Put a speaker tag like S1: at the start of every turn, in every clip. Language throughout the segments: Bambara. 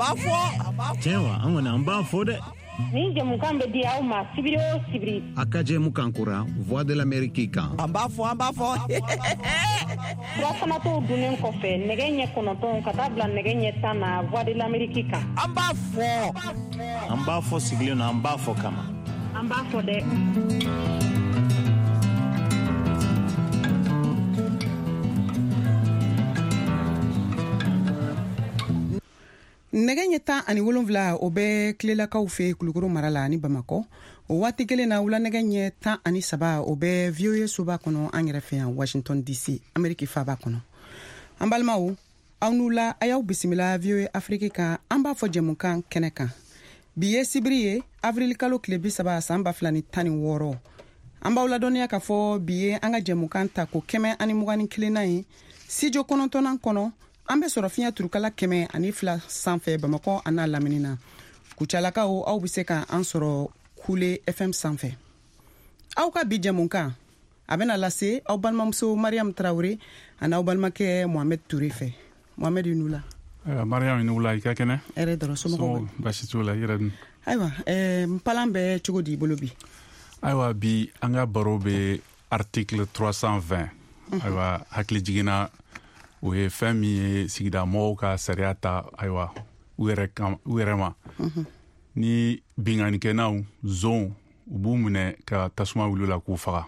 S1: b'a fɔ.
S2: Tiɲɛ wa, an kɔni an b'a fɔ dɛ.
S3: Nin jɛmukan bɛ di aw ma sibiri o sibiri.
S4: A ka jɛmukan kura Voix de l'Amérique kan.
S1: An b'a fɔ, an b'a fɔ.
S3: Surafanatɔw dunnen kɔfɛ nɛgɛ ɲɛ 9 ka taa bila nɛgɛ ɲɛ 10 na Voix de l'Amérique kan.
S1: An b'a fɔ.
S2: An b'a fɔ sigilen na, an b'a fɔ kama.
S3: An b'a fɔ dɛ.
S5: Nɛgɛ ɲɛ 17, o bɛ Tilelakaw fɛ Kulukoro mara la ani Bamakɔ. O waati kelen na, wula nɛgɛ ɲɛ 13, o bɛ VOA soba kɔnɔ an yɛrɛ fɛ yan Washington DC, Ameriki faba kɔnɔ. An balimaw, aw n'u la, a y'aw bisimila VOA Afrique kan, an b'a fɔ jɛmukan kɛnɛ kan. Bi ye sibiri ye, avril kalo tile 30, san 2016. An b'aw ladɔnniya k'a fɔ bi ye an ka jɛmukan ta ko 121nan ye studio 9nan kɔnɔ. An bɛ sɔrɔ fiɲɛ turukala 102 sanfɛ Bamakɔ a n'a lamini na. Kucalakaw, aw bɛ se ka an sɔrɔ Kule FM sanfɛ. Aw ka bi jɛmukan a bɛna lase aw balimamuso Mariam Traoré ani aw balimakɛ Mohamed Touré fɛ. Mohamed, i la.
S6: Mariam, i ni wula, i ka kɛnɛ?
S5: Hɛrɛ dɔrɔn, somɔgɔw?
S6: Baasi t'u la, i yɛrɛ dun?
S5: Ayiwa, npalan bɛ cogo di i bolo bi?
S6: Ayiwa, bi an ka baro bɛ article 320. Ayiwa, hakili jiginna, o ye fɛn min ye sigida mɔgɔw ka sariya ta, ayiwa, u yɛrɛ ma. Ni binkannikɛnaw zon, u b'u minɛ ka tasuma wuli la k'u faga.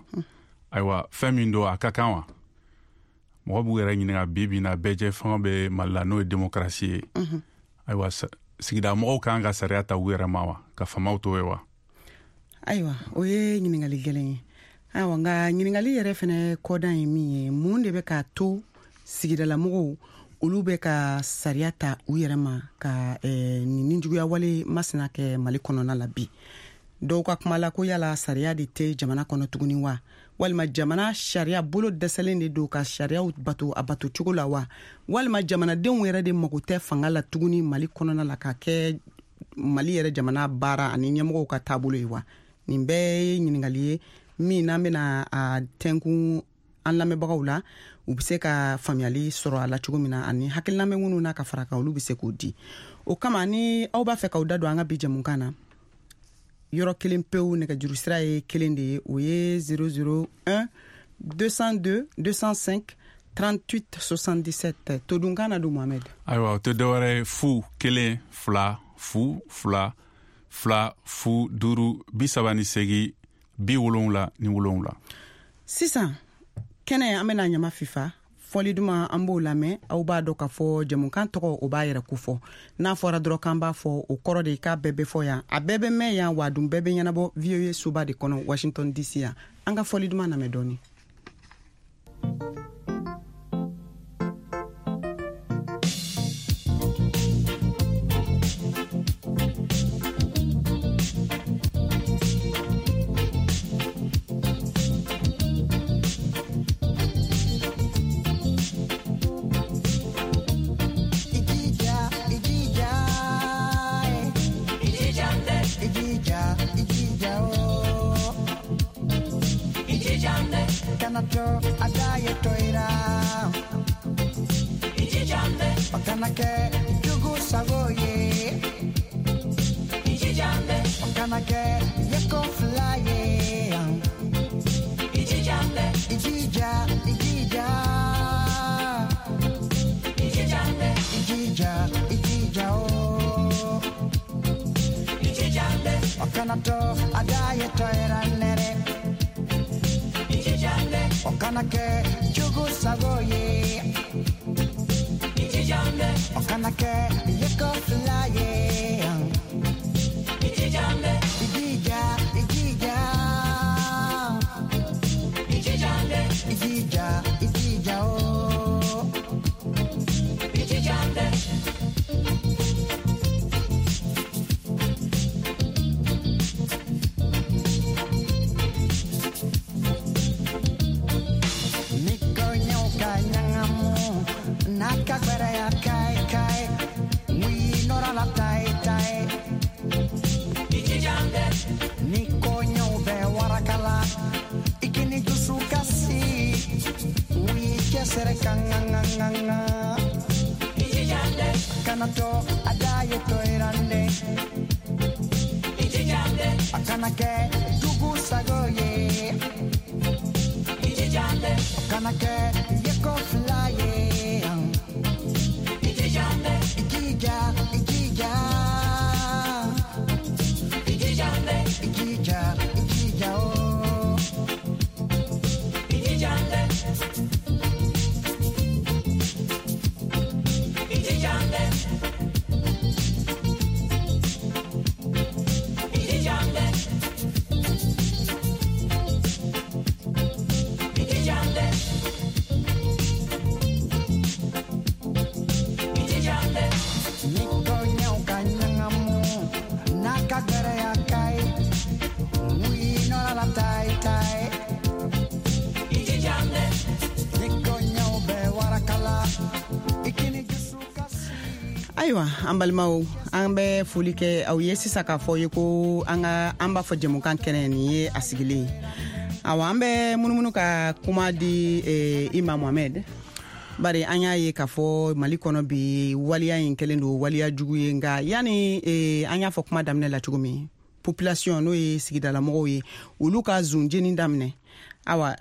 S6: Ayiwa, fɛn min don, a ka kan wa? Mɔgɔ b'u yɛrɛ ɲininka. Bi bi na, bɛɛjɛ fanga bɛ Mali la, n'o ye démocratie ye. Ayiwa, sigida mɔgɔw kan ka sariya ta u yɛrɛ ma wa, ka famaw to ye wa?
S5: Ayiwa, o ye ɲininkali gɛlɛn ye. Ayiwa, nka ɲininkali yɛrɛ fɛnɛ kɔdan ye min ye, mun de bɛ k'a to sigidalamɔgɔw olu bɛ ka sariya ta u yɛrɛ ma ka nin nijuguya wale masina kɛ Mali kɔnɔna la bi? Dɔw ka kuma la ko yala sariya de tɛ jamana kɔnɔ tuguni wa, walima jamana sariya bolo dɛsɛlen de don ka sariyaw bato a bato cogo la wa, walima jamanadenw yɛrɛ de mago tɛ fanga la tuguni Mali kɔnɔna la ka kɛ Mali yɛrɛ jamana baara ani ɲɛmɔgɔw ka taabolo ye wa? Nin bɛɛ ye ɲininkali ye min n'an bɛna a tɛnkun an lamɛnbagaw la, u bɛ se ka faamuyali sɔrɔ a la cogo min na, ani hakilina bɛ minnu na ka fara kan, olu bɛ se k'o di. O kama, ni aw b'a fɛ k'aw da don an ka bi jɛmukan na, yɔrɔ kelen pewu, nɛgɛjuru sira ye kelen de ye, o ye 001 202 205 38 77. Todunkan na don, Mohamed.
S6: Ayiwa, o tɛ dɔwɛrɛ ye, 0 1 2 0 2 2 0 5 38 77.
S5: Sisan kɛnɛ, an bɛna ɲama fifa fɔli duman, an b'o lamɛn. Aw b'a dɔn k'a fɔ jɛmukan tɔgɔ, o b'a yɛrɛ kofɔ. N'a fɔra dɔrɔn k'an b'a fɔ, o kɔrɔ de k'a bɛɛ bɛ fɔ yan, a bɛɛ bɛ mɛn yan, wa dun bɛɛ bɛ ɲɛnabɔ VOA soba de kɔnɔ Washington DC yan. An ka fɔli duman lamɛn dɔɔni.
S1: Kana to a da ye toirande Akana ke dugu sago ye Akana ke yeko fly ye Ikija, ikija Ikija, ikija oh
S5: Ayiwa, an balimaw, an bɛ foli kɛ aw ye sisan k'a fɔ ye ko an ka an b'a fɔ jɛmukan kɛnɛ nin ye a sigilen ye. Awa, an bɛ munumunu ka kuma di i ma, Mohamɛd, bari an y'a ye k'a fɔ Mali kɔnɔ bi, waleya in kɛlen don waleya jugu ye. Nka yani an y'a fɔ kuma daminɛ la cogo min, population, n'o ye sigidalamɔgɔw ye, olu ka zon jeni daminɛ. Awa,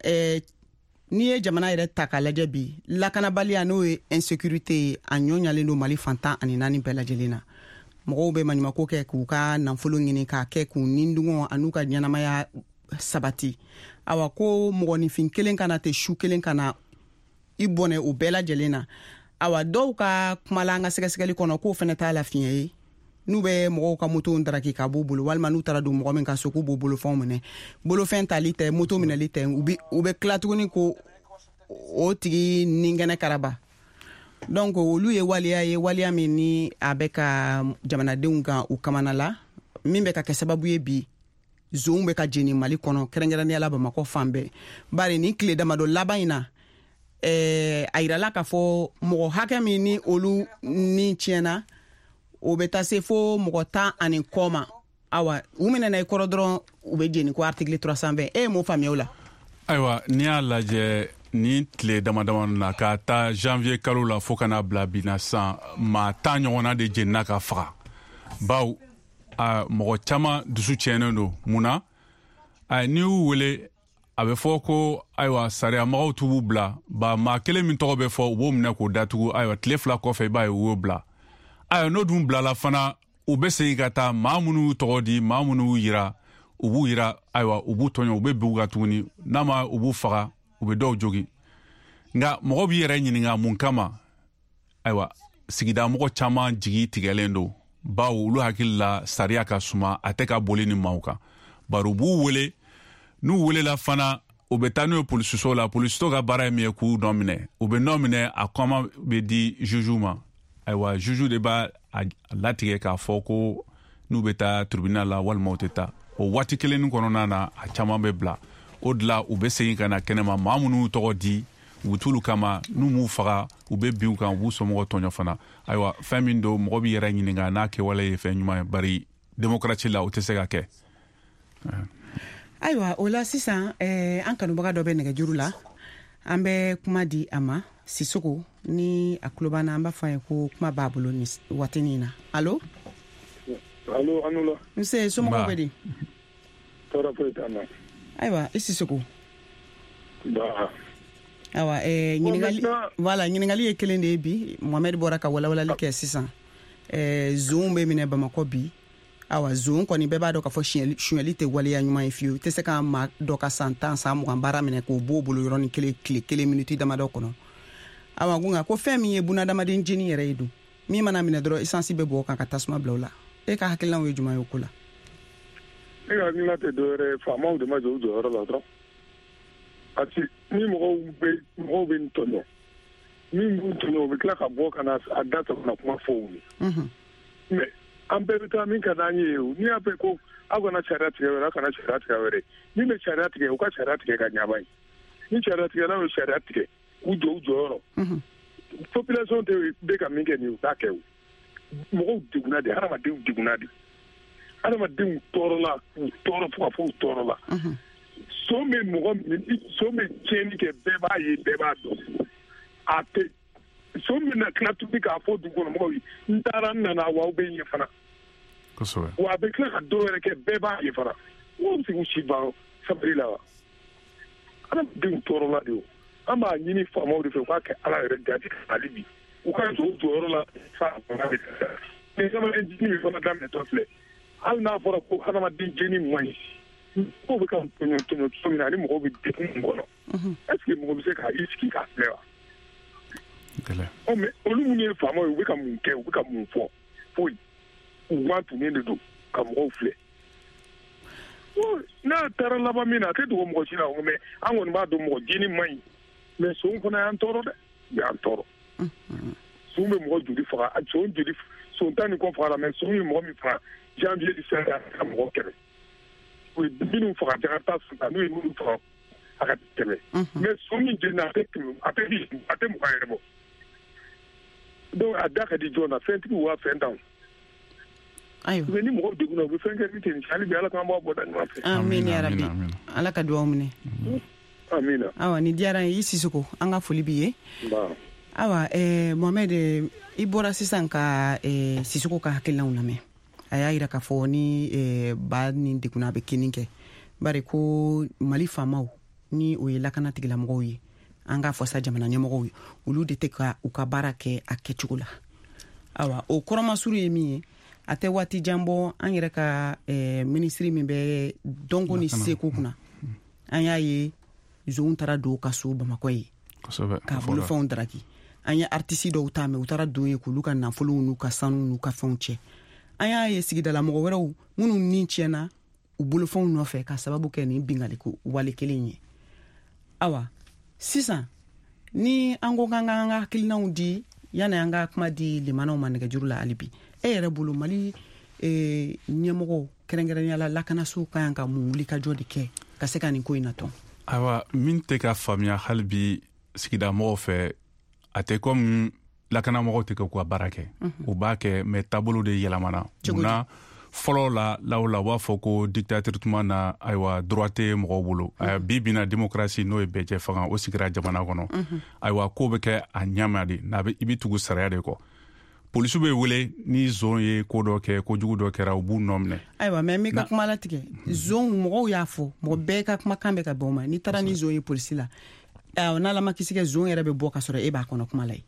S5: n'i ye jamana yɛrɛ ta k'a lajɛ bi, lakanabaliya, n'o ye insécurité ye, a ɲɔ ɲalen don Mali fan 14 bɛɛ lajɛlen na. Mɔgɔw bɛ maɲumako kɛ k'u ka nafolo ɲini, k'a kɛ k'u nindungɔ an'u ka ɲɛnamaya sabati. Awa, ko mɔgɔninfin kelen kana ten, su kelen kana i bɔnɛ o bɛɛ lajɛlen na. Awa, dɔw ka kuma la, an ka sɛgɛsɛgɛli kɔnɔ, k'o fɛnɛ t'a la fiɲɛ ye, n'u bɛ mɔgɔw ka motow daraki ka b'u bolo, walima n'u taara don mɔgɔ min ka so, k'u b'o bolofɛnw minɛ. Bolofɛn tali tɛ, moto minɛli tɛ, u bɛ tila tuguni ko o tigi ninkɛnɛ karaba. Donc olu ye waleya ye, waleya min ni a bɛ ka jamanadenw kan u kamana la, min bɛ ka kɛ sababu ye bi zonw bɛ ka jeni Mali kɔnɔ, kɛrɛnkɛrɛnnenya la Bamakɔ fan bɛɛ. Bari nin tile damadɔ laban in na, a yirala k'a fɔ mɔgɔ hakɛ min ni olu ni tiɲɛna, o bɛ taa se fo mɔgɔ 10 ani kɔ ma. Awa, u minɛna i kɔrɔ dɔrɔn, u bɛ jeni ko article 320. E ye mun faamuya o la?
S6: Ayiwa, n'i y'a lajɛ nin tile dama dama na, k'a ta janvier kalo la fo ka n'a bila bi na sisan, maa 10 ɲɔgɔnna de jenina ka faga. Baw a mɔgɔ caman dusu tiɲɛnen don. Mun na? N'i y'u wele, a bɛ fɔ ko ayiwa, sariyamɔgɔw t'u b'u bila ba. Maa kelen min tɔgɔ bɛ fɔ, u b'o minɛ k'o datugu. Ayiwa, tile 2 kɔfɛ, i b'a ye u y'o bila. Ayiwa, n'o dun bilala fana, u bɛ segin ka taa maa minnu y'u tɔgɔ di, maa minnu y'u yira, u b'u yira. Ayiwa, u b'u tɔɲɔ, u bɛ bin u kan tuguni. N'a ma, u b'u faga, u bɛ dɔw jogin. Nka mɔgɔ b'i yɛrɛ ɲininka mun kama. Ayiwa, sigida mɔgɔ caman jigi tigɛlen don, bawo olu hakili la sariya ka suma, a tɛ ka boli ni maaw kan. Bari u b'u wele, n'u welela fana, u bɛ taa n'u ye polisiso la. Polisiso ka baara ye min ye, k'u nɔ minɛ. U bɛ nɔ minɛ, a kɔma bɛ di juge ma. Ayiwa, juge de b'a a latigɛ k'a fɔ ko n'u bɛ taa tribunal la walima u tɛ taa. O waati kelen nin kɔnɔna na, a caman bɛ bila. O de la u bɛ segin ka na kɛnɛma. Maa minnu y'u tɔgɔ di, u bɛ t'olu kama. N'u m'u faga, u bɛ bin u kan, u b'u somɔgɔw tɔɲɔ fana. Ayiwa, fɛn min don, mɔgɔ b'i yɛrɛ ɲininka n'a kɛwale ye fɛn ɲuman ye, bari démocratie la, o tɛ se ka kɛ.
S5: Ayiwa, o la sisan, an kanubaga dɔ bɛ nɛgɛjuru la, an bɛ kuma di a ma. Sisoko, ni a tulo b'an na, an b'a fɔ a ye ko kuma b'a bolo nin waatinin na. Allo?
S7: Allo, an la.
S5: Nse, somɔgɔw bɛ di?
S7: Tɔɔrɔ foyi t'an na.
S5: Ayiwa, i Sisoko.
S7: Ba.
S5: Ayiwa, ɲininkali, voilà, ɲininkali ye kelen de ye bi. Mohamɛd bɔra ka walawalali kɛ sisan. Zonw bɛ minɛ Bamakɔ bi. Awa, zon kɔni, bɛɛ b'a dɔn k'a fɔ sonyɛli tɛ waleya ɲuman ye fiyewu. I tɛ se ka maa dɔ ka san 10, san 20 baara minɛ k'o b'o bolo yɔrɔnin kelen, tile kelen, miniti damadɔ kɔnɔ. Awa, ko nka ko fɛn min ye bunadamaden jeni yɛrɛ ye dun, min mana minɛ dɔrɔn, essence bɛ bɔ o kan ka tasuma bila o la. E ka hakilinaw ye jumɛn ye o ko la?
S7: Ne ka hakilina tɛ dɔwɛrɛ ye, faamaw de ma jɔ u jɔyɔrɔ la dɔrɔn, parce que ni mɔgɔw bɛ nin tɔɲɔ, min b'u tɔɲɔ, u bɛ tila ka bɔ ka na a da sɔrɔ na kuma fɔ u ye. Mais an bɛɛ bɛ taa min ka d'an ye o. N'i y'a fɛ ko aw kana sariya tigɛ wɛrɛ, aw kana sariya tigɛ wɛrɛ, min bɛ sariya tigɛ, u ka sariya tigɛ ka ɲaba ye. Ni sariya tigɛlaw ye sariya tigɛ k'u jɔ u jɔyɔrɔ, population tɛ bɛ ka min kɛ nin ye, u t'a kɛ. O mɔgɔw degunna de, hadamadenw degunna de, hadamadenw tɔɔrɔla, u tɔɔrɔ fo ka fɔ u tɔɔrɔla. Son bɛ mɔgɔ min, son bɛ tiɲɛni kɛ, bɛɛ b'a ye, bɛɛ b'a dɔn, a tɛ. Son min na tila tuguni k'a fɔ dugu kɔnɔ mɔgɔw ye n taara n nana wa aw bɛ ɲɛ fana.
S6: Kosɛbɛ.
S7: Wa a bɛ tila ka dɔw yɛrɛ kɛ bɛɛ b'a ye fana. Mɔgɔw bɛ se k'u si ban sabali la wa? Adamadenw tɔɔrɔla de o. An b'a ɲini faamaw de fɛ u k'a kɛ Ala yɛrɛ jati hali bi. U ka jɔ u jɔyɔrɔ la fa bɛ ni hadamaden jeni min fana daminɛtɔ filɛ. Hali n'a fɔra ko hadamaden jeni man ɲi. Mɔgɔw bɛ ka tɔɲɔ tɔɲɔ cogo min na ani mɔgɔw bɛ degun min kɔnɔ. Est ce que mɔgɔ bɛ se ka i sigi k'a filɛ wa? Mais olu minnu ye faamaw ye u bɛ ka mun kɛ, u bɛ ka mun fɔ? Foyi. U ma tunnen de don ka mɔgɔw filɛ. N'a taara laban min na a tɛ dogo mɔgɔ si la, mais an kɔni b'a dɔn mɔgɔ jeni man ɲi. Mais son fana y'an tɔɔrɔ dɛ, u y'an tɔɔrɔ. Son bɛ mɔgɔ joli faga, son joli, son 10 ni kɔ fagara, mais son ye mɔgɔ min faga janvier ni fɛn a ka mɔgɔ 100. U ye minnu faga Jakarta san, n'u ye minnu faga a ka 100. Mais son min jenina a tɛ 100, a tɛ 20, a tɛ 20 yɛrɛ bɔ. Donc a da ka di jɔn na, fɛntigiw wa fɛntanw.
S5: Ayiwa.
S7: Mais ni mɔgɔw degunna u bɛ fɛn kɛ min tɛ nin ye, hali bi Ala k'an bɔ a bɔda ɲuman fɛ.
S5: Amin ya rabi. Ala ka duwawu minɛ.
S7: Amina.
S5: Awa ni diyara n ye i Sisoko, an ka foli b'i ye. Awa Mohamed, i bɔra sisan ka Sisoko ka hakilinaw lamɛn. A y'a yira k'a fɔ ni ba ni degunna a bɛ kini kɛ. Bari ko Mali faamaw ni o ye lakana tigilamɔgɔw ye, an k'a fɔ sa jamana ɲɛmɔgɔw ye, olu de tɛ ka u ka baara kɛ a kɛcogo la. Awa o kɔrɔmasuru ye min ye, a tɛ waati jan bɔ an yɛrɛ ka minisiri min bɛ dɔnko ni seko kunna, an y'a ye zonw taara don ka so Bamakɔ ye k'a bolofɛnw daraki. An ye artisi dɔw ta mɛ u taara don ye k'olu ka nafolow n'u ka sanu n'u ka fɛnw cɛ. An y'a ye sigidala mɔgɔ wɛrɛw minnu ni tiɲɛna u bolofɛnw nɔfɛ ka sababu kɛ nin binkanni wale kelen ye. Awa sisan ni an ko k'an k'an ka hakilinaw di yanni an ka kuma di limanaw ma nɛgɛjuru la hali bi, e yɛrɛ bolo Mali ɲɛmɔgɔw kɛrɛnkɛrɛnnenya la lakanasow ka kan ka mun wulikajɔ de kɛ ka se ka nin ko in natɔn?
S6: Ayiwa, min tɛ ka faamuya hali bi sigida mɔgɔw fɛ, a tɛ komi lakanamɔgɔw tɛ k'u ka baara kɛ. U b'a kɛ mais taabolo de yɛlɛmana. Munna fɔlɔ la lawla u b'a fɔ ko dictature tuma na, ayiwa droit tɛ mɔgɔw bolo. Bi bi na démocratie n'o ye bɛɛjɛ fanga o sigira jamana kɔnɔ. Ayiwa ko bɛ kɛ a ɲɛma de, n'a bɛ i bɛ tugu sariya de kɔ. Polisiw bɛ wele ni zon ye ko dɔ kɛ, kojugu dɔ kɛra, u b'u nɔ minɛ.
S5: Ayiwa mais n b'i ka kuma latigɛ. Zon mɔgɔw y'a fɔ, mɔgɔ bɛɛ ka kumakan bɛ ka bɛn o ma. N'i taara ni zon ye polisi la, n'Ala ma kisi kɛ zon yɛrɛ bɛ bɔ ka sɔrɔ e b'a kɔnɔ kuma la ye.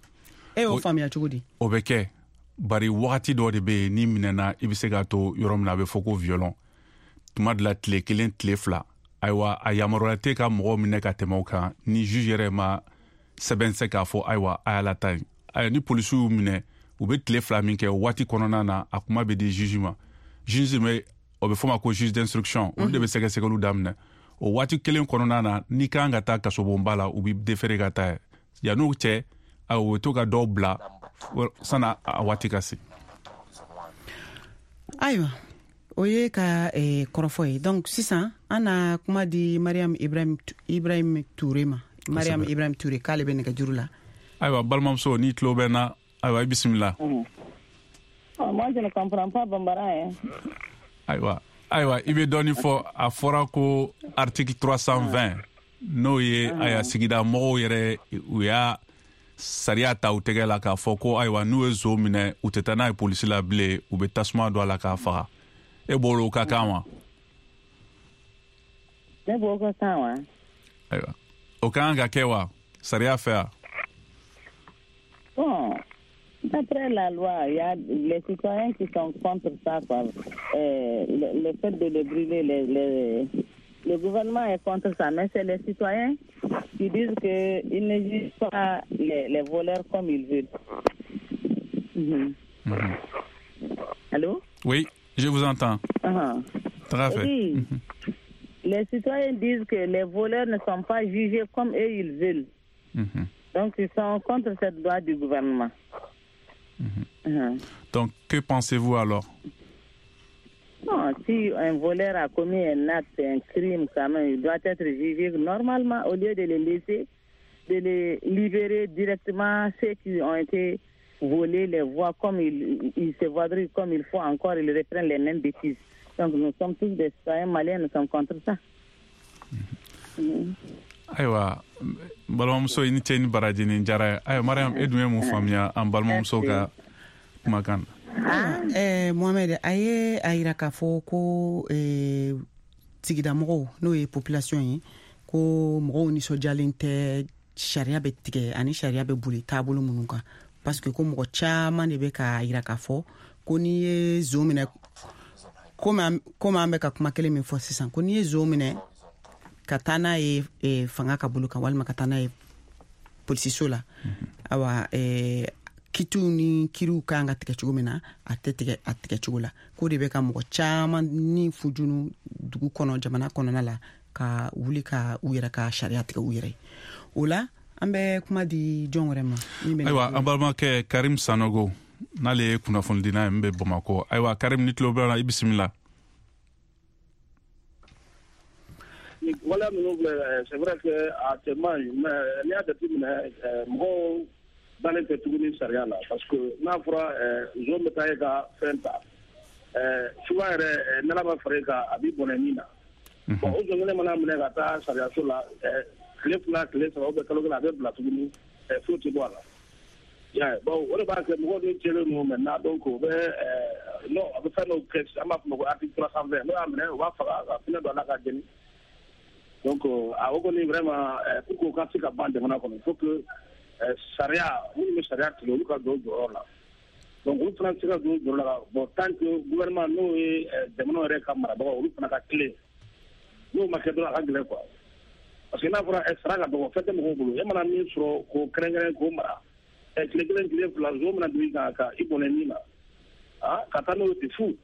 S5: E y'o faamuya cogo di?
S6: O bɛ kɛ bari wagati dɔ de bɛ yen n'i minɛna i bɛ se k'a to yɔrɔ min na a bɛ fɔ ko violon. Tuma dɔ la tile 1 tile 2, ayiwa a yamaruya tɛ ka mɔgɔw minɛ ka tɛmɛ o kan ni juge yɛrɛ ma sɛbɛn se k'a fɔ ayiwa a y'a lataa yen. Ayiwa ni polisiw y'u minɛ, u bɛ tile 2 min kɛ o waati kɔnɔna na a kuma bɛ di juge ma. Juge bɛ o bɛ fɔ ma ko juge d'instruction, olu de bɛ sɛgɛsɛgɛliw daminɛ. O waati kelen kɔnɔna na n'i kan ka taa kasobonba la, u b'i déféré ka taa yen. Yann'o cɛ, ayiwa u bɛ to ka dɔw bila sanni a waati ka se.
S5: Ayiwa o ye ka kɔrɔfɔ ye. Donc sisan an na kuma di Mariam Ibrahim Touré ma. Mariam Ibrahim Touré k'ale bɛ nɛgɛjuru la.
S6: Ayiwa balimamuso, n'i tulo bɛ n na, ayiwa i bisimila.
S3: Moi je ne comprends pas bambara hein.
S6: Ayiwa ayiwa i bɛ dɔɔnin fɔ. A fɔra ko article 320 n'o ye ayiwa sigida mɔgɔw yɛrɛ u y'a sariya ta u tɛgɛ la k'a fɔ ko ayiwa n'u ye zon minɛ u tɛ taa n'a ye polisi la bilen, u bɛ tasuma don a la k'a faga. E bolo o ka kan wa?
S3: Ne bolo ka kan wa?
S6: Ayiwa o ka kan ka kɛ wa sariya fɛ wa?
S3: Bon, d'après la loi, il y a les citoyens qui sont contre ça, quoi. Le fait de le brûler, le gouvernement est contre ça, mais c'est les citoyens qui disent qu'ils ne jugent pas les voleurs comme ils veulent. Mm-hmm. Mm-hmm. Allô?
S6: Oui, je vous entends.
S3: Uh-huh.
S6: Très bien.
S3: Oui. Mm-hmm. Les citoyens disent que les voleurs ne sont pas jugés comme eux ils veulent. Mm-hmm. Donc, ils sont contre cette loi du gouvernement.
S6: Mm-hmm. Mm-hmm. Donc, que pensez-vous alors?
S3: Non, si un voleur a commis un acte, un crime, quand même, il doit être jugé normalement au lieu de les laisser, de les libérer directement, ceux qui ont été volés, les voient comme ils se voient comme il faut encore, ils reprennent les mêmes bêtises. Donc, nous sommes tous des citoyens maliens, nous sommes contre ça.
S6: Mm-hmm. Mm-hmm. Ayiwa, balimamuso, i ni ce ni baraji, ni diyara ye. Ayiwa Mariam, e dun ye mun faamuya an balimamuso ka kumakan
S5: na? Mohamed, a ye a yira k'a fɔ ko sigidamɔgɔw, n'o ye population ye, ko mɔgɔw nisɔndiyalen tɛ sariya bɛ tigɛ ani sariya bɛ boli taabolo minnu kan, parce que ko mɔgɔ caman de bɛ k'a yira k'a fɔ ko n'i ye zon minɛ, komi an bɛ ka kuma kelen min fɔ sisan, ko n'i ye zon minɛ ka taa n'a ye fanga ka bolo kan walima ka taa n'a ye polisiso la, awa kitiw ni kiriw kan ka tigɛ cogo min na, a tɛ tigɛ a tigɛ cogo la, k'o de bɛ ka mɔgɔ caman ni fujunu dugu kɔnɔ, jamana kɔnɔna la, ka wuli ka u yɛrɛ ka sariya tigɛ u yɛrɛ ye. O la an bɛ kuma di jɔn wɛrɛ ma?
S6: Ayiwa, an balimakɛ Karim Sanogo, n'ale ye kunnafonidina ye min bɛ Bamakɔ. Ayiwa Karim, ni tulo bɛ la, i bisimila.
S8: Waleya ninnu filɛ, c'est vrai que a cɛ man ɲi, mais n'i y'a jateminɛ, mɔgɔw dalen tɛ tuguni sariya la, parce que n'a fɔra zon bɛ taa e ka fɛn ta, souvent yɛrɛ n'Ala ma fara e kan, a b'i bɔnɛ min na. Bon, o zon kelen mana minɛ ka taa sariyaso la, tile 2, tile 3 ou bien kalo 1, a bɛ bila tuguni, foyi tɛ bɔ a la. Bon, o de b'a kɛ mɔgɔw de jɛlen don maintenant, donc o bɛ non, a bɛ fɛn dɔw kɛ, an b'a fɔ o ma ko article 320, n'o y'a minɛ, u b'a faga ka pinɛ don a la ka jeni. Donc a o kɔni vraiment, pour que o ka se ka ban jamana kɔnɔ, il faut que sariya minnu bɛ sariya tigɛ, olu ka don u jɔyɔrɔ la. Donc olu fana tɛ se ka don u jɔyɔrɔ la, bon, tant que gouvernement, n'o ye jamana yɛrɛ ka marabagaw, olu fana ka tilen, n'o ma kɛ dɔrɔn, a ka gɛlɛn quoi. Parce que n'a fɔra sara ka dɔgɔ, fɛn tɛ mɔgɔw bolo, e mana min sɔrɔ k'o kɛrɛnkɛrɛn k'o mara, tile 1, tile 2, zon mana don i kan ka i bɔnɛ min na, ka taa n'o ye ten fu.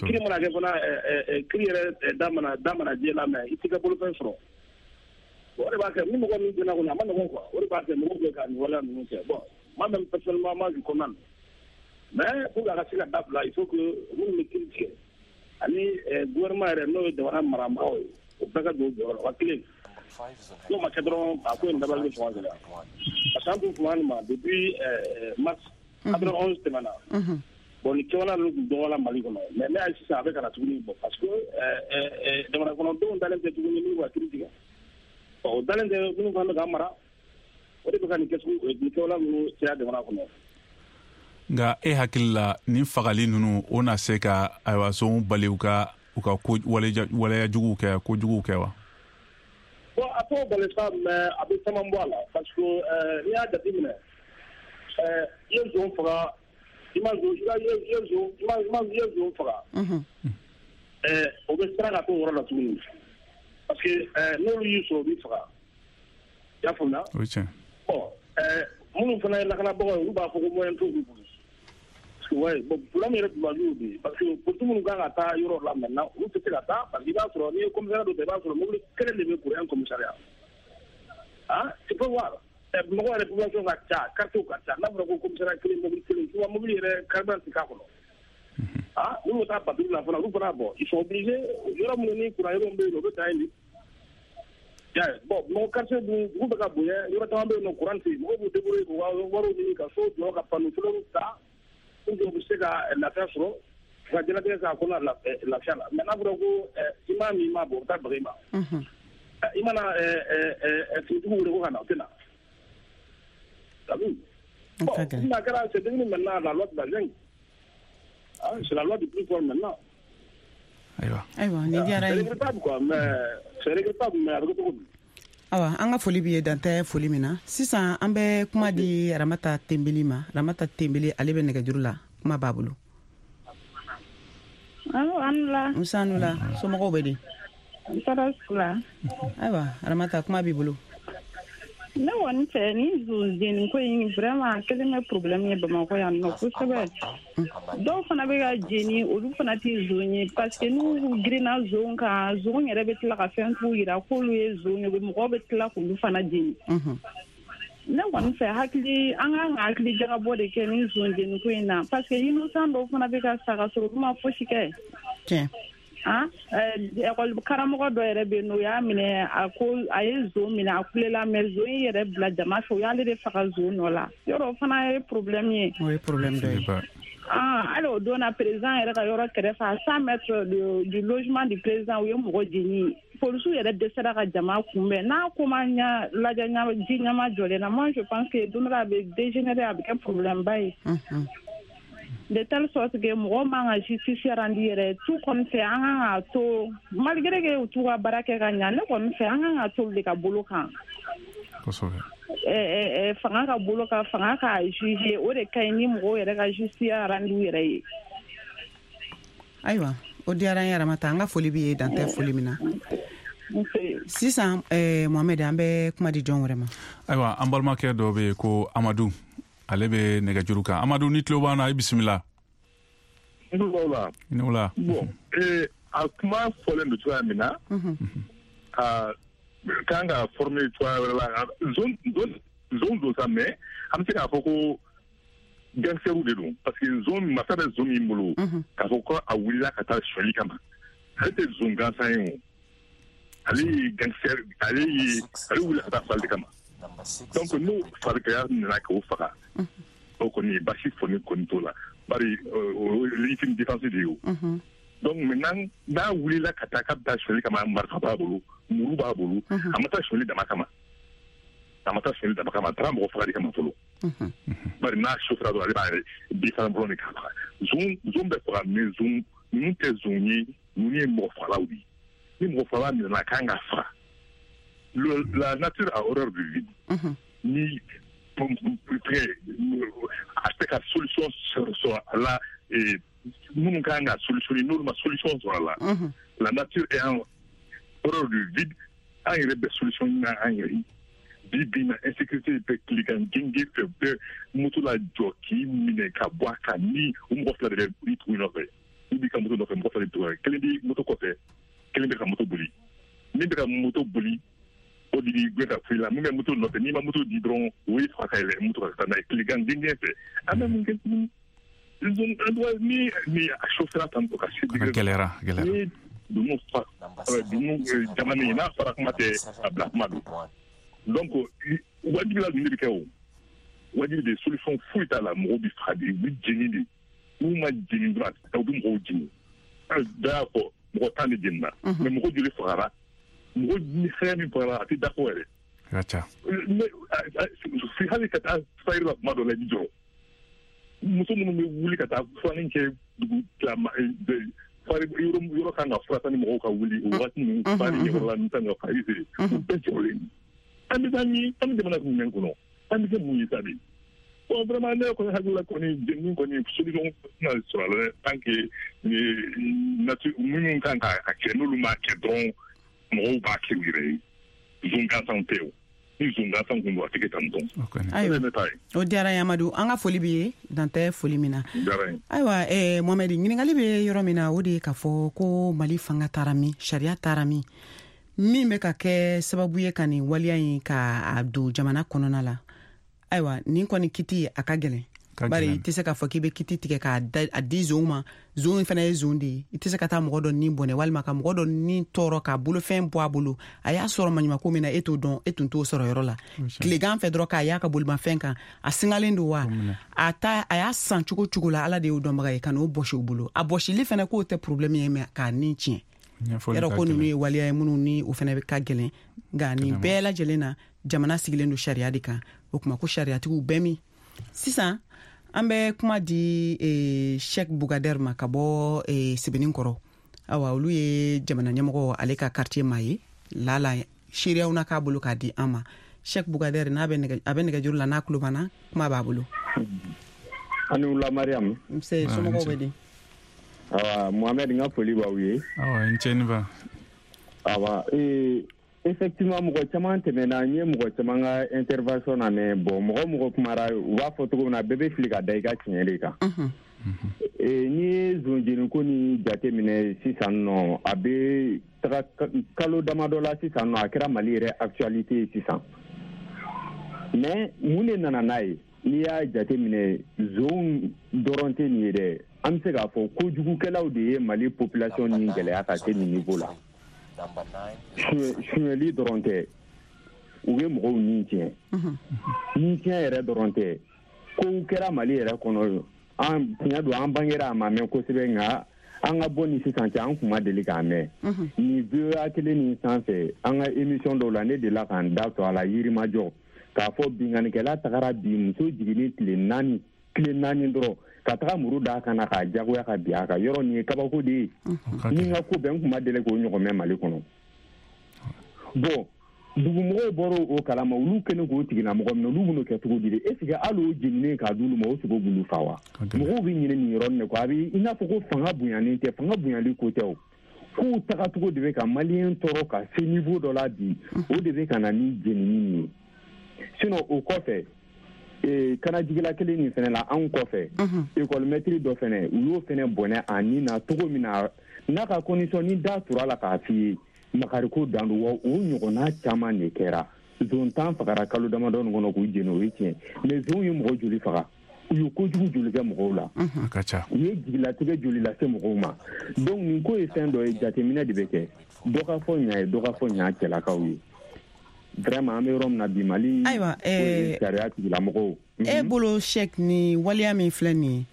S8: Kiri mana kɛ fana, kiri yɛrɛ da mana jɛ la, mais i t'i ka bolofɛn sɔrɔ. O de b'a kɛ ni mɔgɔ min jɛna kɔni, a ma nɔgɔn quoi. O de b'a kɛ mɔgɔw bɛ ka nin waleya ninnu kɛ. Bon, moi même personnellement, moi je condamne. Mais pour que a ka se ka dabila, il faut que minnu bɛ kiri tigɛ ani gouvernement yɛrɛ, n'o ye jamana marabagaw ye, o bɛɛ ka don u jɔyɔrɔ la, wa kelen. N'o ma kɛ dɔrɔn, a ko in dabali bɛ sɔn ka gɛlɛya. Parce que an tun kuma nin ma depuis mars 91 tɛmɛna. Bon, ni kɛwale ninnu tun dɔgɔyara Mali kɔnɔ, mais ne y'a ye sisan a bɛ ka na tuguni, bon, parce que jamana kɔnɔdenw dalen tɛ tuguni n'u ka kiri tigɛ. O dalen tɛ minnu fana bɛ k'an mara, o de bɛ ka nin kɛwale ninnu caya jamana kɔnɔ.
S6: Nka e hakili la, nin fagali ninnu, o na se ka ayiwa sonw bali u ka ko waleya juguw kɛ, kojuguw kɛ wa?
S8: Bon, a t'o bali sa, mais a bɛ caman bɔ a la, parce que n'i y'a jateminɛ, i ye zon faga, i ma zon, i ye zon faga, o bɛ siran ka t'o yɔrɔ la tuguni, parce que n'olu y'i sɔrɔ, u b'i faga. I y'a faamuya?
S6: O ye tiɲɛ.
S8: Bon, minnu fana ye lakanabagaw ye, olu b'a fɔ ko moyen t'olu bolo. Parce que ouais, bon, problème yɛrɛ tun b'a y'o de, parce que policiers minnu kan ka taa yɔrɔ la maintenant, olu tɛ se ka taa, parce que i b'a sɔrɔ n'i ye commissariat dɔ ta, i b'a sɔrɔ mobili kelen de bɛ pour un commissariat. Ah, tu peux voir. Mɔgɔ yɛrɛ population ka ca, quartier ka ca, n'a fɔra ko commissariat kelen, mobili kelen, souvent mobili yɛrɛ carburant tɛ k'a kɔnɔ. Ah, n'u bɛ taa patrouille la fana, olu fana, bon, ils sont obligés, yɔrɔ minnu ni courant yɔrɔ bɛ yen nɔ, u bɛ taa yen de. Bon, mɔgɔ quartier dun, dugu bɛ ka bonya, yɔrɔ caman bɛ yen nɔ, courant tɛ yen, mɔgɔw b'u débrouiller k'u ka wariw ɲini ka so jɔ ka panneau solaires ta pour que u bɛ se ka lafiya sɔrɔ, ka diɲɛlatigɛ k'a kɔnɔ lafiya la. Mais n'a fɔra ko i m'a min, i m'a bɔ, u bɛ taa baga i ma. I mana finitigiw wele ko ka na, u tɛ na. T'as vu? Bon, n'a kɛra, c'est devenu maintenant la loi de la jungle. Ah, c'est la loi du plus fort maintenant.
S6: Ayiwa.
S5: Ayiwa, nin diyara
S8: C'est
S5: ye.
S8: regrettable quoi, mais c'est regrettable, mais a bɛ kɛ cogo di?
S5: Awa, an ka foli b'i ye, dan tɛ foli min na. Sisan an bɛ kuma di Ramata Tembeli ma. Ramata Tembeli, ale bɛ nɛgɛjuru la, kuma b'a bolo.
S3: Allo, an la.
S5: Musa la, somɔgɔw bɛ di?
S3: Tɔɔrɔ su la.
S5: Ayiwa Ramata, kuma b'i bolo.
S3: Ne kɔni fɛ, ni zon jeni ko in vraiment a kɛlen bɛ problème ye Bamakɔ yan nɔ kosɛbɛ. Dɔw fana bɛ ka jeni, olu fana tɛ zon ye, parce que n'u girinna zon kan, zon yɛrɛ bɛ tila ka fɛn t'u yira k'olu ye zon ye, mɔgɔw bɛ tila k'olu fana jeni. Ne kɔni fɛ, hakili an kan ka hakili jagabɔ de kɛ ni zon jeni ko in na, parce que innocent dɔw fana bɛ ka sa ka sɔrɔ olu ma fosi kɛ.
S5: Tiɲɛ.
S3: Ah, école karamɔgɔ dɔ yɛrɛ bɛ yen nɔ, o y'a minɛ, a ko a ye zon minɛ, a kulela, mais zon in yɛrɛ bila jama fɛ, o y'ale de faga zon nɔ la. Yɔrɔ o fana ye problème ye.
S5: O ye problème dɔ ye.
S3: Ah, hali o don na, président yɛrɛ ka yɔrɔ kɛrɛfɛ, à 100 mètres du logement du président, u ye mɔgɔ jeni.
S9: Polisiw yɛrɛ dɛsɛra ka jama kunbɛn n'a ko ma ɲa lajɛ ji ɲama jɔlen na, moi je pense que don dɔ la a bɛ dégénérer, a bɛ kɛ problème ba ye. De telle sorte que mɔgɔ man ka justice rendu yɛrɛ tout kɔni fɛ, an kan k'a to malgré que u t'u ka baara kɛ ka ɲa, ne kɔni fɛ an kan k'a to olu de ka bolo kan. Fanga ka bolo kan, fanga k'a juger, o de ka ɲi ni mɔgɔw yɛrɛ ka justice rendu yɛrɛ ye.
S5: Ayiwa, o diyara n ye Ramata, an ka foli b'i ye dan tɛ foli min na. Sisan Mohamed, an bɛ kuma di jɔn wɛrɛ ma?
S6: Ayiwa, an balimakɛ dɔ bɛ yen ko Amadu, ale bɛ nɛgɛjuru kan. Amadu, ni tulo b'an na, i bisimila.
S7: N tulo b'aw la.
S6: I ni wula.
S7: Bon, a kuma fɔlen don cogoya min na, a kan ka former cogoya wɛrɛ la. Zon don sa, mais an bɛ se k'a fɔ ko gangsterw de don, parce que zon masa bɛ zon min bolo, k'a fɔ ko a wulila ka taa sonyali kama, ale tɛ zon gansan ye o, ale ye gangster, ale wulila ka taa fali de kama. Donc n'o farikaya nana k'o faga, o kɔni basi fɔni kɔni t'o la, bari o ye légitime défense de ye o. Donc maintenant n'a wulila ka taa k'a bɛ taa sonyali kama, marifa b'a bolo, muru b'a bolo, a ma taa sonyali dama kama, a ma taa sonyali dama kama, a taara mɔgɔ faga de kama fɔlɔ. Bari n'a sofera dɔrɔn, ale b'a yɛrɛ bi fana bolo de k'a faga. Zon bɛ faga, mais zon ninnu tɛ zon ye, ninnu ye mɔgɔ fagalaw de ye. Ni mɔgɔ fagala minɛna, a kan ka faga. La nature a horreur du vide. Ni a tɛ ka solution sɔrɔ a la, minnu kan ka solution, n'olu ma solution sɔrɔ a la, la nature est en horreur du vide. An yɛrɛ bɛ solution ɲini an yɛrɛ ye. Bi bi na, insécurité bɛ tilegan genge fɛ, bɛɛ moto la jɔ k'i minɛ ka bɔ a kan, ni o mɔgɔ fila de bɛ i tugu nɔfɛ, i b'i ka moto nɔfɛ, mɔgɔ fila de tugu, kelen b'i moto kɔfɛ, kelen bɛ ka moto boli. Min bɛ ka moto boli, o de b'i gɛn ka f'i la. Min bɛ moto nɔfɛ, n'i ma moto di dɔrɔn, o y'i faga ka yɛlɛ moto kan ka taa n'a ye tilegan genge fɛ. An bɛ mun kɛ tuguni? Ni a chauffeur tan to ka se
S6: gɛlɛyara gɛlɛyara.
S7: Ni dunun fa dunun jamana n'a fɔra kuma tɛ a bila kuma don. Donc wajibi la ninnu de bɛ kɛ o. Wajibi de, solution foyi t'a la, mɔgɔw bɛ faga de, u bɛ jeni de. N'u ma jeni dɔrɔn, u bɛ mɔgɔw jeni. Dɔ y'a fɔ mɔgɔ 10 de jenina, mais mɔgɔ joli fagara? Mɔgɔ ni fɛn min fagara, a tɛ da fɔ yɛrɛ.
S6: Ka ca.
S7: Hali ka taa fayiri la kuma dɔ la, i bɛ jɔrɔ. Muso minnu bɛ wuli ka taa furanin kɛ dugu tilama, yɔrɔ kan ka fura ni mɔgɔw ka wuli o waati ninnu, fari ɲɛkɔrɔla ninnu kan ka fari feere, u bɛɛ jɔrɔlen. An bɛ taa min, an bɛ jamana jumɛn kɔnɔ? An bɛ kɛ mun ye sa bi? Bon, vraiment ne kɔni hakili la kɔni, jɛnini kɔni solution tɛna sɔrɔ a la dɛ, tant que nature minnu kan k'a kɛ, n'olu m'a kɛ dɔrɔn, mɔgɔw b'a kɛ u yɛrɛ ye. Zon gansanw tɛ o. Ni zon gansan kun don, a tɛ kɛ tan tɔn.
S5: Ayiwa, o diyara n ye Amadu, an ka foli b'i ye dan tɛ foli min na. Ayiwa Mohamed, ɲininkali bɛ yɔrɔ min na, o de ye k'a fɔ ko Mali fanga taara min, sariya taara min, min bɛ ka kɛ sababu ye ka nin waleya in k'a don jamana kɔnɔna la. Ayiwa, nin kɔni kiti a ka gɛlɛn, bari i tɛ se k'a fɔ k'i bɛ kiti tigɛ k'a di zon ma. Zon fana ye zon de ye, i tɛ se ka taa mɔgɔ dɔ ni bɔnɛ walima ka mɔgɔ dɔ ni tɔɔrɔ k'a bolofɛn bɔ a bolo. A y'a sɔrɔ maɲumako min na, e t'o dɔn, e tun t'o sɔrɔ yɔrɔ la. Tilegan fɛ dɔrɔn k'a y'a ka bolimafɛn kan, a singalen don wa, a y'a san cogo cogo la, Ala de y'o dɔnbaga ye, ka n'o bɔsi o bolo. A bɔsili fana k'o tɛ problème ye, mais k'a ni tiɲɛ. Yɔrɔ ko ninnu ye waleya ye minnu ni o fana ka gɛlɛn, nka nin bɛɛ lajɛlen na, jamana sigilen don sariya de kan. O tuma ko sariyatigiw bɛɛ min. Sisan an bɛ kuma di Cheikh Bougader ma ka bɔ Sebeninkɔrɔ. Awa, olu ye jamana ɲɛmɔgɔ, ale ka quartier maa ye, lala seereyaw na k'a bolo k'a di an ma. Cheikh Bougader, n'a bɛ a bɛ nɛgɛjuru la, n'a tulo b'an na, kuma b'a bolo.
S10: Ani wula Mariam.
S5: Nse, somɔgɔw bɛ di?
S10: Awa Mohamed, n ka foli b'aw ye.
S6: Awa, n cɛ ni ba.
S10: Awa, effectivement mɔgɔ caman tɛmɛna, n ye mɔgɔ caman ka intervention na mɛn. Bon, mɔgɔ kumara, u b'a fɔ cogo min na, bɛɛ bɛ fili ka da i ka tiɲɛ de kan. N'i ye zonjeniko ni jate minɛ sisan nɔ, a bɛ taga kalo damadɔ la sisan nɔ, a kɛra Mali yɛrɛ actualité ye sisan. Mais mun de nana n'a ye? N'i y'a jate minɛ, zon dɔrɔn tɛ nin ye dɛ. An bɛ se k'a fɔ kojugukɛlaw de ye Mali population ni gɛlɛya ka se nin niveau la. Suɲɛli dɔrɔn tɛ, u bɛ mɔgɔw ni tiɲɛ. Ni tiɲɛ yɛrɛ dɔrɔn tɛ, kow kɛra Mali yɛrɛ kɔnɔ. An tiɲɛ don, an bangera a ma mɛn kosɛbɛ, nka An ka bɔ ni sisan cɛ, an kun ma deli k'a mɛn. Nin VOA kelen nin sanfɛ, an ka émission dɔw la, ne delila k'an da to a la Yirimajɔ, k'a fɔ binkannikɛla tagara bi muso jiginni tile 4, tile 4 dɔrɔn, ka taga muru d'a kan na k'a jagoya ka bin a kan. Yɔrɔ nin ye kabako de ye. Ni n ka ko bɛn, n kun ma deli k'o ɲɔgɔn mɛn Mali kɔnɔ. Bon, dugumɔgɔw bɔra o kalama, olu kɛlen k'o tigilamɔgɔ minɛ, olu bɛn'o kɛ cogo di de? Est ce que hali o jeninen k'a d'olu ma, o sogo b'olu fa wa? Mɔgɔw bɛ ɲinɛ nin yɔrɔnin de kɔ. A bɛ i n'a fɔ ko fanga bonyanen tɛ, fanga bonyali ko tɛ o. Kow tagacogo de bɛ ka maliyɛn tɔɔrɔ ka se niveau dɔ la bi, o de bɛ ka na ni jenini nin ye. Sinon o kɔfɛ, kanajigila kelen nin fɛnɛ la, anw kɔfɛ, école maître dɔ fɛnɛ, u y'o fɛnɛ bɔnɛ a nin na cogo min na, n'a ka condition ni da tura la k'a f'i ye, makariko dan don. Wa o ɲɔgɔnna caman de kɛra. Zon 10 fagara kalo damadɔ nin kɔnɔ k'u jeni, o ye tiɲɛ. Mais zonw ye mɔgɔ joli faga? U ye kojugu joli kɛ mɔgɔw la? U ye jigilatigɛ joli lase mɔgɔw ma? Donc nin ko ye fɛn dɔ ye, jateminɛ de bɛ kɛ. Dɔ ka fɔ ɲa ye, dɔ ka fɔ ɲa cɛlakaw ye. Vraiment, an bɛ yɔrɔ min na bi, Mali
S5: ayiwa
S10: sariya tigilamɔgɔw.
S5: E bolo, Cheikh, ni waleya min filɛ nin ye,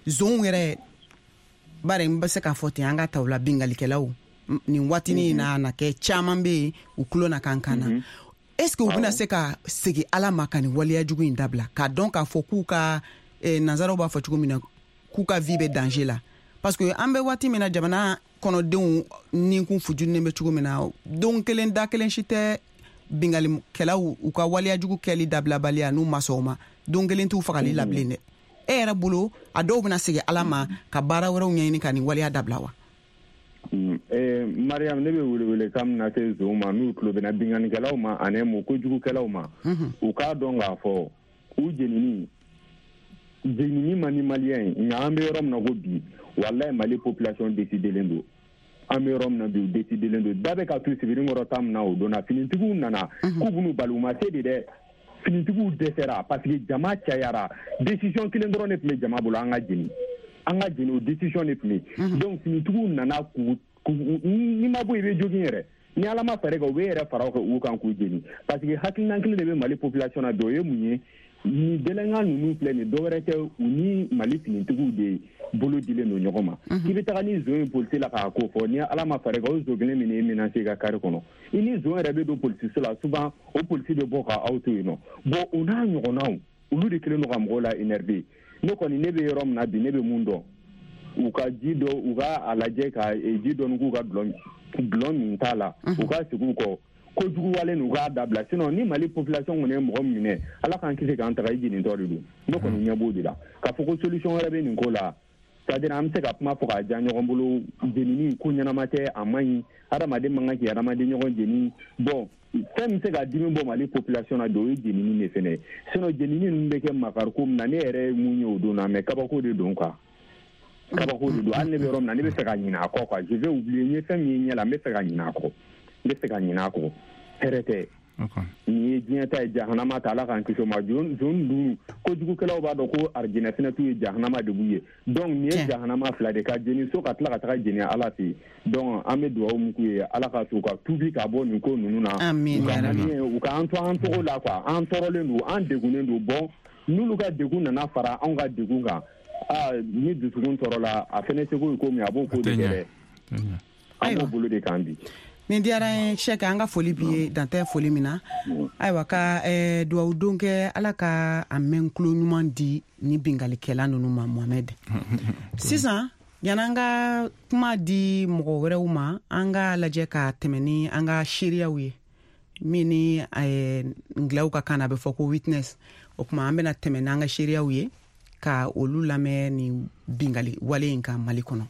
S5: zonw yɛrɛ bari, n bɛ se k'a fɔ ten, an ka ta u la, bingalikɛlaw nin waatinin na na kɛ caman bɛ yen, u tulo na kan kan na, est ce que u bɛna se ka segin Ala ma ka nin waleya jugu in dabila, k'a dɔn k'a fɔ k'u ka, nanzaraw b'a fɔ cogo min na, k'u ka vie bɛ danger la? Parce que an bɛ waati min na, jamana kɔnɔdenw ninkun fujunen bɛ cogo min na, don kelen da kelen si tɛ bingalikɛlaw u ka waleya jugu kɛli dabilabaliya n'u ma sɔn o ma, don kelen t'u fagali la bilen dɛ. E yɛrɛ bolo, a dɔw bɛna segin Ala ma ka baara wɛrɛw ɲɛɲini ka nin waleya dabila wa?
S10: Mariam, ne bɛ welewele kan min lase zonw ma n'u tulo bɛ na, binkannikɛlaw ma ani mun kojugukɛlaw ma, u k'a dɔn k'a fɔ u jenini jenini man di maliyɛn ye. Nka an bɛ yɔrɔ min na ko bi, walayi, Mali population décidelen don. An bɛ yɔrɔ min na bi, u décidelen don. Da bɛ ka tu sibiri kɔrɔ ta min na, o don na finitigiw nana k'u b'u bali, u ma se de dɛ. Finitigiw dɛsɛra parce que jama cayara. Décision kelen dɔrɔn de tun bɛ jama bolo: an ka jeni, an ka jeni. O décision de tun bɛ yen. Donc finitigiw nana k'u, n'i ma bɔ, i bɛ jogin yɛrɛ. Ni Ala ma fɛɛrɛ kɛ, u bɛ yɛrɛ fara u kan k'u jeni, parce que hakilina kelen de bɛ Mali population na bi. O ye mun ye? Ni délinquant ninnu filɛ nin, dɔwɛrɛ tɛ, u ni Mali finitigiw de bolo dilen don ɲɔgɔn ma. K'i bɛ taga ni zon ye polisi la k'a ko fɔ, ni Ala ma fɛɛrɛ kɛ, o zon kelen min ye menacer i ka kari kɔnɔ, i ni zon yɛrɛ bɛ don polisiso la, souvent o polisi bɛ bɔ ka aw to yen nɔ. Bon, o n'a ɲɔgɔnnaw, olu de kɛlen don ka mɔgɔw la énerver. Ne kɔni, ne bɛ yɔrɔ min na bi, ne bɛ mun dɔn? U ka ji dɔ, u ka a lajɛ ka ji dɔɔni k'u ka dɔlɔ min t'a la, u ka segin u kɔ kojugu wale u k'a dabila. Sinon ni Mali population kɔni ye mɔgɔ min minɛ, Ala k'an kisi k'an taga, i jenintɔ de don. Ne kɔni ɲɛ b'o de la k'a fɔ ko solution wɛrɛ bɛ nin ko la. C'est à dire, an bɛ se ka kuma fɔ k'a diya ɲɔgɔn bolo, jenini ko ɲɛnama tɛ, a man ɲi, hadamaden man kan k'i hadamaden ɲɔgɔn jeni. Bon, fɛn min bɛ se ka dimi bɔ Mali population na bi, o ye jenini de fɛnɛ ye. Sinon jenini ninnu bɛ kɛ makariko min na, ne yɛrɛ ye mun ye o don na, mais kabako de don quoi, kabako de don. Hali ne bɛ yɔrɔ min na, ne bɛ fɛ ka ɲinɛ a kɔ quoi, je vais oublier. N ye fɛn min ye ɲɛ la, n bɛ fɛ ka ɲinɛ a kɔ, n bɛ fɛ ka ɲinɛ a kɔ. Hɛrɛ tɛ. Nin ye diɲɛ ta ye, jahanama ta, Ala k'an kisi o ma. Zon dun, kojugukɛlaw b'a dɔn ko arijinɛ fɛnɛ t'u ye, jahanama de b'u ye. Donc nin ye jahanama fila de ka jeni so, ka tila ka taga jeni Ala fɛ yen. Donc an bɛ dugawu min k'u ye, Ala ka to u ka tuubi ka bɔ nin ko ninnu na. U ka an to an tɔgɔ la quoi. An tɔɔrɔlen don, an degunnen don. Bon, n'olu ka degun nana fara anw ka degun kan, aa, ni dusukun tɔɔrɔla, a fɛnɛ seko ye ko min, a b'o ko de kɛ dɛ. An b'o bolo de kan bi.
S5: Nin diyara n ye, Sɛki, an ka foli b'i ye, dan tɛ foli min na. Ayiwa, ka duwawu don kɛ, Ala ka a mɛn kulo ɲuman di ni bingalikɛla ninnu ma. Mohamɛd, sisan yan'an ka kuma di mɔgɔ wɛrɛw ma, an ka lajɛ ka tɛmɛ ni an ka seereyaw ye, min ni ngilaw ka kan na, a bɛ fɔ ko witness. O tuma, an bɛna tɛmɛ n'an ka seereyaw ye ka olu lamɛn ni bingali wale in kan Mali kɔnɔ.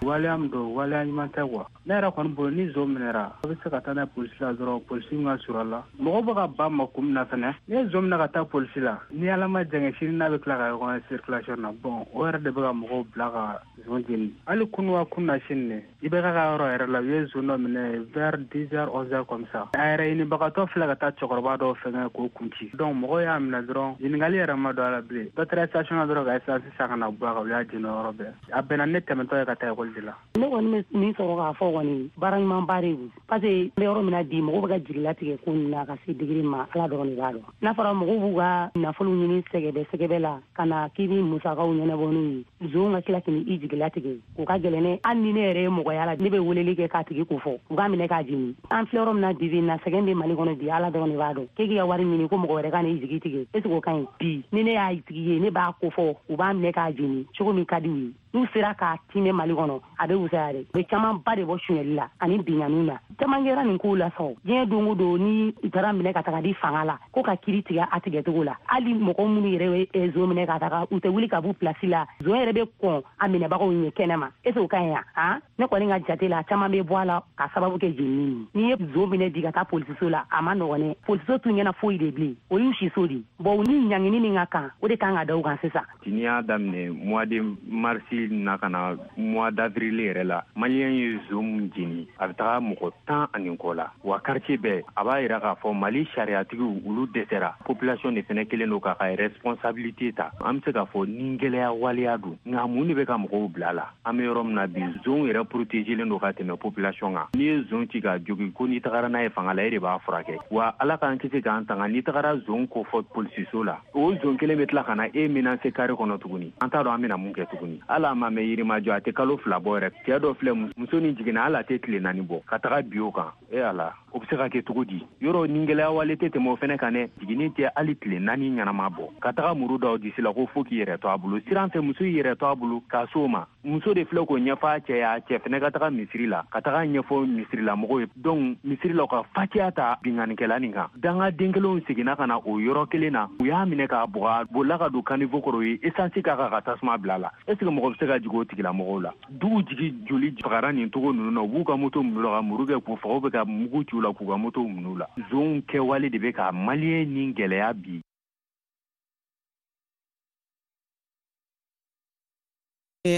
S11: Waleya min don, waleya ɲuman tɛ quoi. Ne yɛrɛ kɔni bolo, ni zon minɛra, a bɛ se ka taa n'a ye polisi la dɔrɔn, polisi min ka surun a la. Mɔgɔw bɛ ka ban ma kun min na fɛnɛ, n'i ye zon minɛ ka taa polisi la, ni Ala ma jɛngɛ, sini n'a bɛ tila ka ɲɔgɔn ye circulation na. Bon, o yɛrɛ de bɛ ka mɔgɔw bila ka zon jeni. Hali kunu wa kunu na sini ne, i bɛ ka yɔrɔ yɛrɛ la, u ye zon dɔ minɛ vers 10 heures, 11 heures comme ça. A yɛrɛ ɲinibagatɔ filɛ ka taa cɛkɔrɔba dɔw fɛngɛ k'o kun ci. Donc mɔgɔw y'a minɛ dɔrɔn, ɲininkali yɛrɛ ma don a la bilen. Dɔ taara station na dɔrɔn ka essence san ka na bɔ a kan, u y'a jeni o yɔrɔ bɛɛ. A bɛnna ne tɛmɛtɔ ye ka taa ekɔli de la.
S12: Ne kɔni bɛ min sɔrɔ k'a fɔ kɔni, baara ɲumanba de don, parce que n bɛ yɔrɔ min na bi, mɔgɔw bɛ ka jigilatigɛ ko ninnu na ka se degré ma, Ala dɔrɔn de b'a dɔn. N'a fɔra mɔgɔw b'u ka nafolo ɲini sɛgɛbɛ sɛgɛbɛ la ka na k'i bɛ musakaw ɲɛnabɔ n'u ye, zon ka tila k'i i jigin. jigilatigɛ, o ka gɛlɛn ne. Hali ni ne yɛrɛ ye mɔgɔya la, ne bɛ weleli kɛ k'a tigi ko fɔ, u k'a minɛ k'a jeni. An filɛ yɔrɔ min na bi bi in na, sɛgɛn bɛ Mali kɔnɔ bi, Ala dɔrɔn de b'a dɔn. K'e k'i ka wari ɲini ko mɔgɔ wɛrɛ ka n'i jigi tigɛ, est ce que o ka ɲi? Bi ni ne y'a tigi ye, ne b'a ko fɔ, u b'a minɛ k'a jeni cogo min ka di u ye. N'u sera k'a timɛ Mali kɔnɔ, a bɛ wusaya dɛ. U bɛ camanba de bɔ suɲɛli la ani binkanniw na. Caman kɛra nin kow la sa. Diɲɛ don o don, ni u taara minɛ ka taga di fanga la, ko ka kiri tigɛ a tigɛcogo la. Hali mɔgɔ minnu yɛrɛ bɛ zon minɛ ka taga, u tɛ wuli ka b'u pilasi la. Zon yɛrɛ bɛ kɔn a minɛbagaw ɲɛ kɛnɛ ma. Est ce que o ka ɲi wa? Ne kɔni ka jate la, caman bɛ bɔ a la ka sababu kɛ jenini ye. N'i ye zon minɛ bi ka taa polisiso la, a ma nɔgɔn dɛ. Polisiso t'u ɲɛna foyi de bilen, o y'u siso de. Bon, u ni ɲangini min ka kan, o de kan ka da u kan sisan.
S10: N'i y'a daminɛ mois de mars na ka na mois d'avril yɛrɛ la, maliyɛn ye zon min jeni, a bɛ taga mɔgɔ 10 ani kɔ la. Wa quartier bɛɛ, a b'a yira k'a fɔ Mali sariyatigiw olu dɛsɛra. Population de fɛnɛ kelen don k'a ka responsabilité ta. An bɛ se k'a fɔ ni gɛlɛya waleya don, nka mun de bɛ ka mɔgɔw bila la? An bɛ yɔrɔ min na bi, zon yɛrɛ protégelen don ka tɛmɛ population kan. N'i ye zon ci k'a jogi, ko n'i tagara n'a ye fanga la, e de b'a furakɛ. Wa Ala k'an kisi k'an tanga, n'i tagara zon kofɔ polisiso la, o zon kelen bɛ tila ka na e menacer carré kɔnɔ tuguni. An t'a dɔn an bɛna mun kɛ tuguni. Hali a ma mɛn Yirimajɔ, a tɛ kalo 2 bɔ yɛrɛ. Cɛ dɔ filɛ, muso ni jiginna, hali a tɛ tile 4 bɔ ka taga bi o kan. E Ala, o bɛ se ka kɛ cogo di? Yɔrɔ ni gɛlɛya wale tɛ tɛmɛ o fɛnɛ kan dɛ. Jiginni tɛ hali tile 4 ɲɛnama bɔ ka taga muru da o disi la ko fo k'i yɛrɛ to a bolo. Siran fɛ, muso y'i yɛrɛ to a bolo k'a s'o ma. Muso de filɛ k'o ɲɛfɔ a cɛ ye, a cɛ fɛnɛ ka taga misiri la, ka taga ɲɛfɔ misirilamɔgɔw ye. Donc misiri la, u ka fatiya ta binkannikɛla nin kan. Dangaden kelenw seginna ka na o yɔrɔ kelen na, u y'a minɛ k'a bugɔ, a bolila ka don caniveau kɔrɔ, u ye essence k'a kan ka tasuma bila a la. Est ce que mɔgɔ bɛ se ka jigin o tigilamɔgɔw la? Dugu jigi joli fagara nin cogo ninnu na, u b'u ka moto minɛ u la ka muru kɛ k'u faga, u bɛ ka mugu ci u la k'u ka moto minɛ u la. Zonw kɛwale de bɛ ka maliyɛn ni gɛlɛya bi.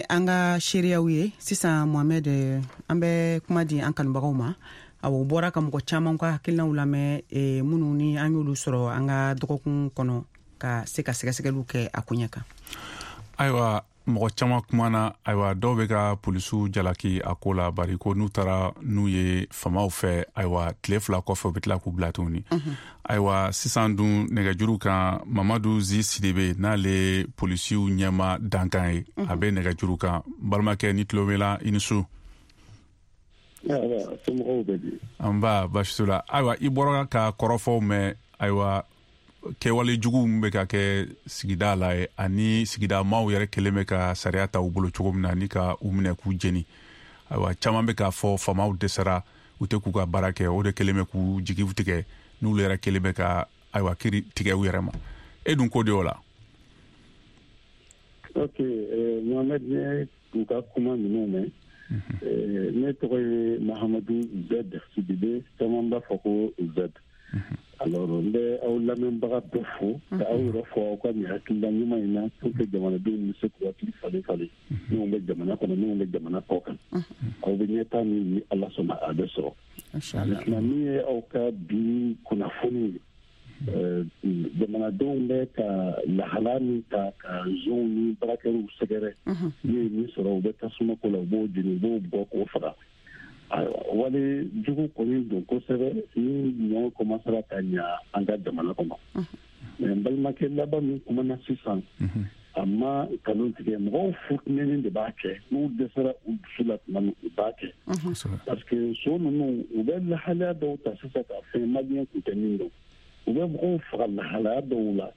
S5: An ka seereyaw ye sisan, Mohamed, an bɛ kuma di an kanubagaw ma. Awɔ, u bɔra ka mɔgɔ caman ka hakilinaw lamɛn, minnu ni an y'olu sɔrɔ an ka dɔgɔkun kɔnɔ ka se ka sɛgɛsɛgɛliw kɛ a koɲɛ kan.
S6: Ayiwa, mɔgɔ caman kumana. Ayiwa, dɔw bɛ ka polisiw jalaki a ko la, bari ko n'u taara n'u ye famaw fɛ, ayiwa, tile 2 kɔfɛ u bɛ tila k'u bila tuguni. Ayiwa, sisan dun nɛgɛjuru kan, Mamadu Zi Sidibe, n'ale polisiw ɲɛma dankan ye, a bɛ nɛgɛjuru kan. Balimakɛ, ni tulo b'i la, i ni su. Nba, baasi t'u la. Ayiwa, i bɔra ka kɔrɔfɔw mɛn. Ayiwa, kɛwale jugu min bɛ ka kɛ sigida la ye, ani sigida maaw yɛrɛ kelen bɛ ka sariya ta u bolo cogo min na, ni ka u minɛ k'u jeni. Ayiwa, caman bɛ k'a fɔ faamaw dɛsɛra, u tɛ k'u ka baara kɛ, o de kelen bɛ k'u jigiw tigɛ, n'olu yɛrɛ kelen bɛ ka ayiwa kiri tigɛ u yɛrɛ ma. E dun ko de o la?
S13: Ok, Mohamed, ne u ka kuma ninnu mɛn. Ne tɔgɔ ye Mahamadu Z Sidibe, caman b'a fɔ ko Z. Alors, n bɛ aw lamɛnbaga bɛɛ fo, ka aw yɛrɛ fo aw ka nin hakilila ɲuman in na, pour que jamanadenw bɛ se k'u hakili falen falen, minnu bɛ jamana kɔnɔ, minnu bɛ jamana kɔ kan. Aw bɛ ɲɛtaa min ni Ala sɔnna a bɛ sɔrɔ. Maintenant, min ye aw ka bi kunnafoni ye, jamanadenw bɛ ka lahala min ta ka zonw ni baarakɛlaw sɛgɛrɛ, n'u ye min sɔrɔ, u bɛ tasuma ko la, u b'o jeni, u b'o bɔ k'o faga. Ayiwa, wale jugu kɔni don kosɛbɛ ni ɲɔ kɔmasera ka ɲa an ka jamana kɔnɔ. Mais n balimakɛ laban min kumana sisan, a ma nkalon tigɛ, mɔgɔw futinɛni de b'a kɛ, n'u dɛsɛra u dusu la tuma min, u b'a kɛ. Parce que so ninnu, u bɛ lahalaya dɔw ta sisan ka fɛn maliyɛn tun tɛ min dɔn. U bɛ mɔgɔw faga lahalaya dɔw la.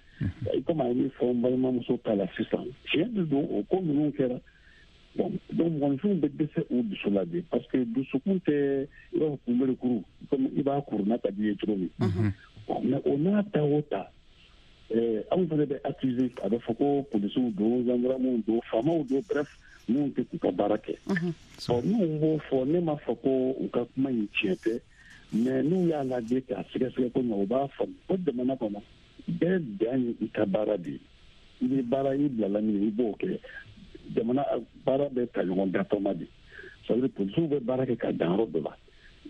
S13: I komi a ye min fɔ n balimamuso ta la sisan, tiɲɛ de don, o ko ninnu kɛra. Bon, donc mɔgɔninfinw bɛ dɛsɛ u dusu la de, parce que dusukun tɛ i b'a fɔ kunberekuru, komi i b'a kuru n'a ka di i ye cogo min. Bon, mais o n'a ta o ta, anw fana bɛ accuser, a bɛ fɔ ko polisiw don, gendarmew don, faamaw don, bref, minnu tɛ k'u ka baara kɛ. Bon, minnu b'o fɔ, ne m'a fɔ ko u ka kuma in tiɲɛ tɛ, mais n'u y'a lajɛ k'a sɛgɛsɛgɛ ko ɲɛ, u b'a faamu ko jamana kɔnɔ bɛɛ dan ye i ka baara de ye. I bɛ baara, i bilala min, i b'o kɛ. Jamana baara bɛ ta ɲɔgɔn datɔma de. Ça veut dire polisiw bɛ baara kɛ ka dan yɔrɔ dɔ la.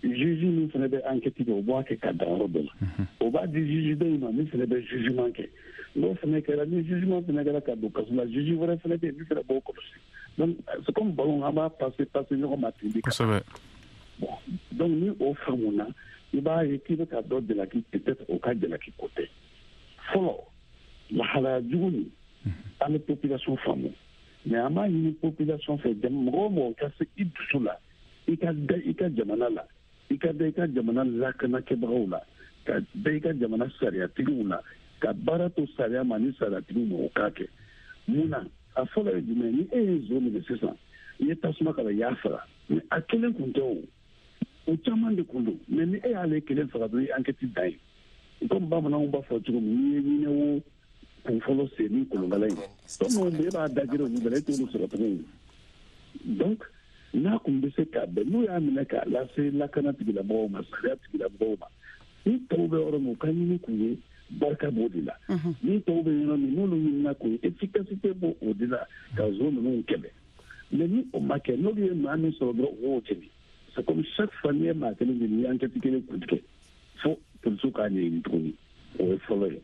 S13: Juge min fana bɛ enquête kɛ, o b'a kɛ ka dan yɔrɔ dɔ la. O b'a di juge dɔ in ma min fana bɛ jugement kɛ. N'o fana kɛra, ni jugement fana kɛra ka don kaso la, juge wɛrɛ fana bɛ yen min fana b'o kɔlɔsi. Donc c'est comme ballon, an b'a passer passer ɲɔgɔn ma ten de. Bon, donc ni o faamuna, i b'a ye k'i bɛ ka dɔ jalaki, peut-être o ka jalaki ko tɛ. Fɔlɔ, lahalaya jugu nin, an bɛ population faamu. Mais an b'a ɲini population fɛ, mɔgɔ o mɔgɔ ka se i dusu la, i ka da i ka jamana la, i ka da i ka jamana lakanakɛbagaw la, ka da i ka jamana sariyatigiw la, ka baara to sariya ma ni sariyatigiw ma, o k'a kɛ. Mun na? A fɔlɔ ye jumɛn? Ni e ye zon minɛ sisan, i ye tasuma k'a la, i y'a faga, mais a kelen kun tɛ, o caman de kun don. Mais ni e y'ale kelen faga dɔrɔn, i ye enquête dan ye. Comme bamananw b'a fɔ cogo min, n'i ye ɲinɛ wo kun fɔlɔ sen ni kolonkala ye, tɔ minnu bɛ, e b'a dajira olu bɛɛ la, e t'olu sɔrɔ tuguni. Donc n'a kun bɛ se ka bɛn, n'u y'a minɛ k'a lase lakana tigilamɔgɔw ma, sariya tigilamɔgɔw ma, ni tɔw bɛ yɔrɔ min, u ka ɲini k'u ye, barika b'o de la. Ni tɔw bɛ yɔrɔ min, n'olu ɲinina k'u ye, efficacité b'o o de la ka zon ninnu kɛlɛ. Mais ni o ma kɛ, n'olu ye maa min sɔrɔ dɔrɔn, u b'o jeni. C'est comme chaque fois n'i ye maa kelen jeni, i ye enquête kelen kuntigɛ, fo polisiw k'a ɲɛɲini tuguni. O ye fɔlɔ ye.